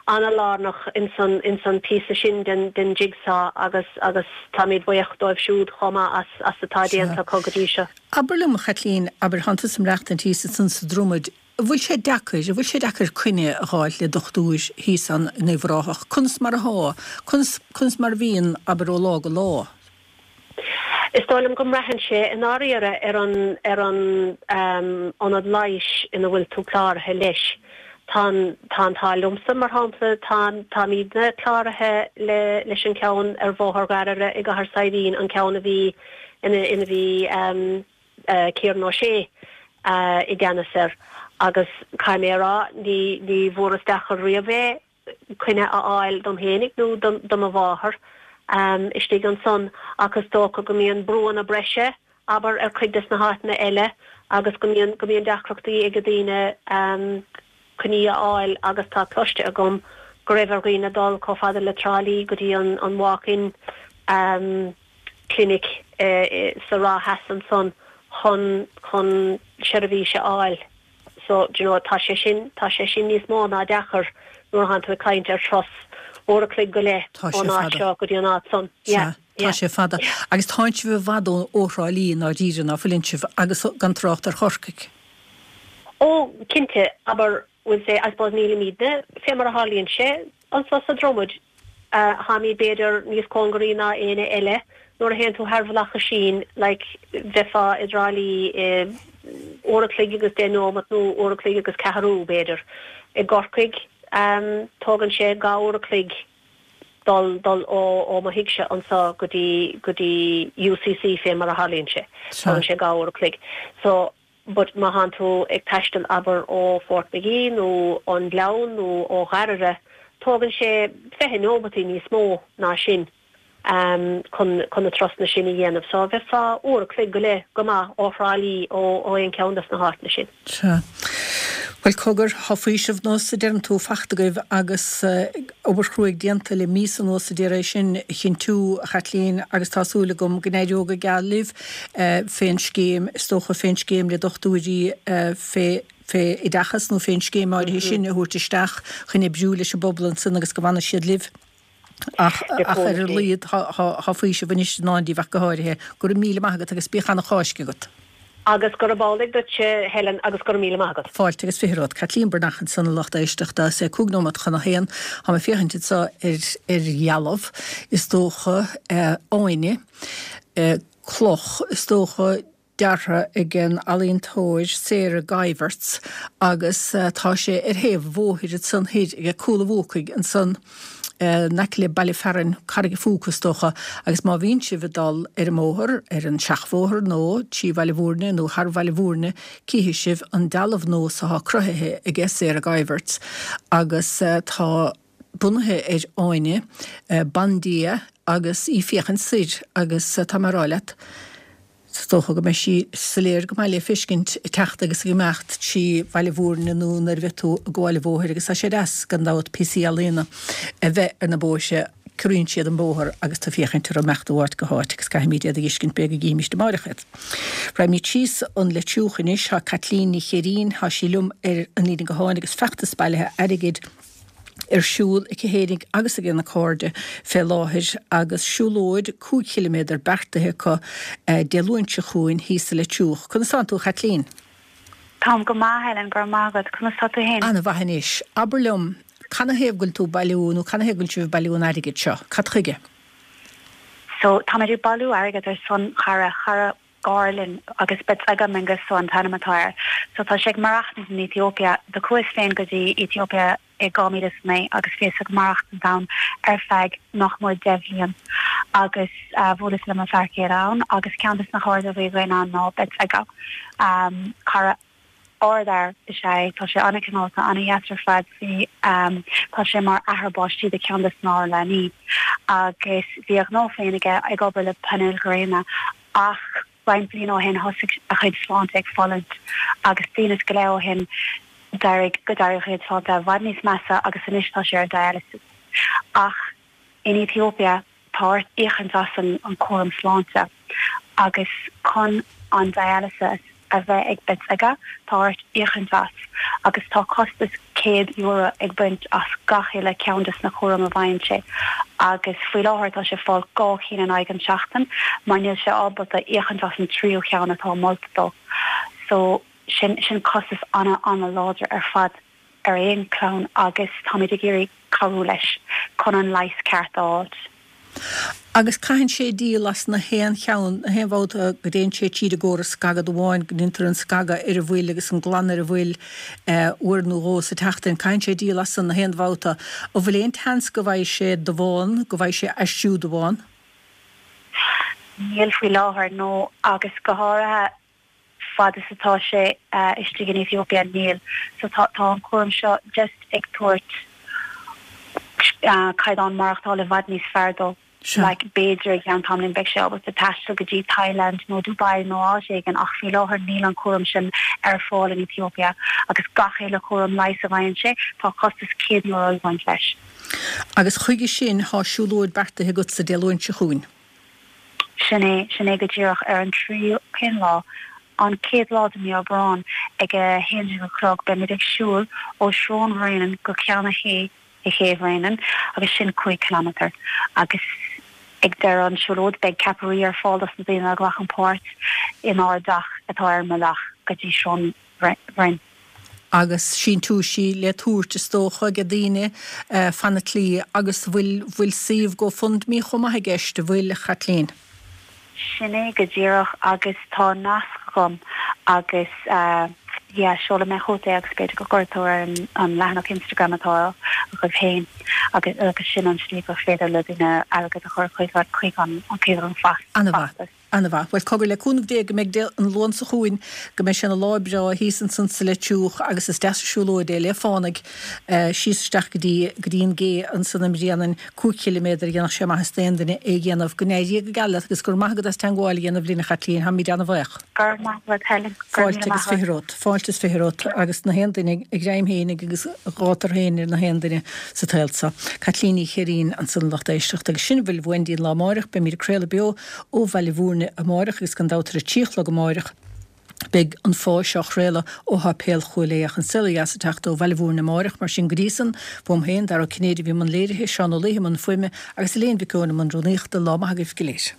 ana-lárnach ins an ins an píosa sin den den jigsaw agus agus táimid buíoch dóibh siúd chomh maith as as atá déanta acu go dtí seo. Abair liom, a Chaitlín, abair, thánn tusa ag maireachtaint thíos ansan sa Dromaid, an bhfuil sé deacair, an bhfuil sé deacair coinne a dh'fháilt le dochtúir thíos ann in Uíbh Ráthach? Conas mar athá? Conas, conas mar a bhíonn, abair, ó lá go lá? Is dóigh liom go mbraitheann sé i ndáiríre ar an ar an ionad leighis ina bhfuil tú cláraithe leis. Tá an tá an t-ádh liomsa, mar shampla, tá táimidne cláraithe le leis an ceann ar Bhóthar Ghairire i gCathair Saidhbhín, an ceann a bhí ina ina bhí Kieran O'Shea i gceannas air agus caithfidh mé a rá ní ní bhfuaireas deacair riamh é. coinne a fháil dom fhéinig nó do mo mháthair istigh ansan ach is dócha go mbíonn brúanna breise abair, ar cuid des na háiteanna eile agus go mbíonn go mbíonn deacrachtaí ag daoine um, coinní a fháil agus tá cloiste agam go raibh ar dhaoine dul chomh fada le Trá Lí go dtí an an walk-in um, clinic uh, sa Ráth Theas ansan chun chun seirbhís a fháil. So do you know, tá sé sin tá sé sin níos mó ná deacair nuair atánn tú ag caint ar turas uair a chloig go leith Tá sé ón áit fada. seo go dtí an áit san. Sea, tá sé fada. Agus tánn sibh i bhfad ó ó Thrá Lí ná díre ná fuileann sibh agus gan trácht ar Chorcaigh. Ó cinnte abair will say I suppose nílimidne fé mar a tharlaíonn sé anso sa Dromad uh, táimid b'fhéidir níos cóngaraí ná éinne eile nuair a théann tú thar Bhealach Oisín like bheifeá i dTrá Lí eh, uair a chloig agus deich nóiméad nó uair a chloig agus ceathrú b'fhéidir. I gCorcaigh um, tógann sé dhá uair a chloig dul dul ó ó mo thigse anso go dtí go dtí UCC fé mar a tharlaíonn sé. Tógann sé dhá uair a chloig. So but má thánn tú ag taisteal abair ó Fort Magee nó an Gleann nó ó Ghaire, tógann sé fiche nóiméad níos mó ná sin um, chun chun na turasanna sin a dhéanamh. So bheifeá uair a chloig go leith go maith ó Thrá Lí ó ó aon cheann des na háiteanna sin. Sea. Well cogar tá faoiseamh nós a deireann tú fachta agaibh agus uh, obair chruaidh déanta le mí anuas a d'iarraidh sin a chinntiú a Chaitlín agus tá súil agam go n-éireoidh go geal libh uh, fén scéim is dócha fén scéim le dochtúirí uh, fé fé oideachas nó fén scéim áirithe sin a thabhairt isteach chun oibriú leis an bpobal ansin agus go bhfanfaidh siad libh. Ach ach ar a laghad tá faoiseamh anois ná díobh go háirithe go raibh míle maith agat agus bíodh an-Cháisc agat. Agus gurab amhlaidh duit Helen agus go raibh míle maith agat. Fáilte agus fiche romhat Caitlín Breathnach ansan a lucht éisteachta sé cúig nóiméad chun a haon Tá mé féachaint anseo ar ar dhealbh is dócha eh, Áine eh, cloch is dócha deartha ag an ealaíontóir Sarah Guyverts agus uh, tá sé ar thaobh bhóthair ansan thoir ag Cúil an Bhuacaigh ansan uh, in aice le baile fearainn Carraig an Phúca is dócha agus má bhíonn sibh ag dul ar an mbóthar ar an seachbhóthar nó trí Bhaile Bhúirne nó thar Bhaile Bhúirne cífidh sibh an dealbh nós atá cruthaithe ag Sarah Guyverts agus uh, tá bunaithe ar Áine uh, bandia agus í féachaint soir agus uh, tá mar leat. Dócha go mbeidh sí soiléir go maith le feiscint teacht agus ag imeacht trí Bhaile Bhúirne nó nuair a bheidh tú ag gabháil an bhóthair agus tá sé deas gan dabht píosaí ealaíne a bheith ar na bóithre ciorraíonn siad an bóthar agus tú féachaint ar imeacht ó áit go háit agus caithfimid iad a fheiscint b'fhéidir go gcífimid amárach iad. Raghaimid síos an Leitriúch anois tá Caitlín Ní Chéirín tá sí liom ar an líne gutháin agus feachtas bailithe airgid ar siúl aici féinig agus ag a cairde fé láthair agus siúlóid cúig chiliméadar beartaithe acu eh, Dé Luain seo chugainn thíos sa Leitriúch. Conas tánn tú Caitlín? Táim go maith Helen go raibh maith agat conas tá tú féin. An-mhaith anois. Abair liom canathaobh go bhfuil tú bailiú nó canathaobh go bhfuil sibh bailiú an airgid seo, Cad chuige? So tá ag bailiú airgead ar son chara chara gar linn agus Betsega Mengistu an t-ainm atá air. So tá sé ag maireachtaint in Ethiopia do chuas féin go dtí Ethiopia i dhá mhíle is naoi agus bhíos ag maireachtaint ann ar feadh nach mór deich mbliana agus uh, bhuaileas le mo fear céile ann agus ceann des na cairde a bhí againn ann ná Betsega um, cara ardfhear is é tá sé an-chineálta an-deas ar fad bhí um, tá sé mar athair baistí do cheann des ár leanaí agus bhí a ghnó féin aige ag obair le painéil ghréine ach roinnt bliain ó shin thosaigh a chuid sláinte ag fulaingt agus bliain is go leith ó shin d'éirigh go d'éirigh a chuid sláinte i bhfad níos measa agus anois tá sé ar dialysis. Ach in Ethiopia tá ort íocaint as an, an cúram sláinte agus chun an dialysis a bheith ag Betsega tá ort íocaint as agus tá costas céad euro ag baint as gach uile ceann des na cúram a bhfaigheann sé agus faoi láthair tá sé fáil dhá cheann in aghaidh an seachtain mar níl sé ábalta íocaint as an tríú ceann atá molta dó. So sin sin costas ana an-láidir ar fad ar aon chlann agus táimid ag iarraidh cabhrú leis chun an leigheas ceart a fháil. Agus caitheann sé díol as na haon cheann na haon bhabhta go dtéann sé tríd an gcóras scagadh amháin go ndéantar an scagadh ar an bhfuil agus an glanadh ar an bhfuil eh, uair nó dhó sa tseachtain caitheann sé díol as an na haon bhabhta. An bhfuil aon tseans go bhfaighidh sé damhán, go bhfaighidh sé aistriú damhán? Níl faoi láthair nó agus go háirithe fad is atá sé uh, istigh in Ethiopia níl. So tá tá an cúram seo just ag tabhairt uh, caighdeán maireachtála i bhfad níos fearr dó. Like b'fhéidir i gceann tamaillín beidh sé ábalta taisteal go dtí Thailand nó Dubai nó áit éigin ach faoi láthair níl an cúram sin ar fáil in Ethiopia agus gach uile chúram leighis a bhfaigheann sé tá costas céad euro ag baint leis. Agus chuige sin thá siúlóid beartaithe agatsa Dé Luain seo chugainn. Sin é, sin é go díreach ar an tríú, cén lá? An chéad lá de mí Aibreán ag a haon déag a chlog beimid ag siúl ó Srón Bhréanainn go Ceann a Sé i Ché Bhréanainn agus sin cúig chileámeter agus ag deireadh an siúlóid beidh ceapairí ar fáil dos na daoine a ghlacann páirt inár dteach atá ar an mbealach go dtí Srón Bhroin. Agus síntiúisí le tabhairt is dócha ag daoine fan na tslí agus bhfuil bhfuil suíomh GoFundMe chomh maith i gceist, a bhfuil, a Chaitlín? Sin é go díreach agus tá nasc agam agus yeah seolfaidh mé chugat é agus b'fhéidir go gcuirfidh tú ar an leathanach Instagram atá agaibh féin agus agus sin an slí gur féidir le daoine airgead a chur chuig chuig an chuig an An-mhaith. An-mhaith. Bhuel, cogar, le cúnamh Dé go mbeidh an Luan seo chugainn, go mbeidh sé ina lá breá thíos ansan sa Leitriúch agus is deas an siúlóid é le fánaidh síos isteach go dtí go dtí an gcé ansan i mBréanainn, cúig chiliméadar, dhéanfadh sé maitheas d'aon duine é a dhéanamh. Go n-éirí go geal leat agus go raibh maith agat as teangmháil a dhéanamh linn, a Chaitlín. Tháimid ana-bhaoch. Go raibh maith agat, Helen. Go raibh Fáilte míle agus maith fiche agat. romhat. Fáilte is fiche romhat agus na haon duine a ghreim fhéinig agus a ghátar féin ar na haon duine sa tsaol so. Caitlín Ní Cheirín ansan a lucht éisteachta agus sin a bhfuil uainn go dtí an lá amáireach. Beimid ag craoladh beo ó Bhaile Mhúirne amáireach agus gan dabht ar a trí a chlog amáireach beidh An Fáth Seo á chraoladh ó Sháipéal Chúil Aodha ach An Saol Ó Dheas ag teacht ó Bhaile Mhúirne amáireach. Mar sin go dtí san, uaim féin, Dara Ó Cinnéide a bhí i mbun léirithe, Seán Ó Laoithe i mbun fuaime agus Elaine Mhic Eoin i mbun rúnaíochta. Lá maith agaibh go léir.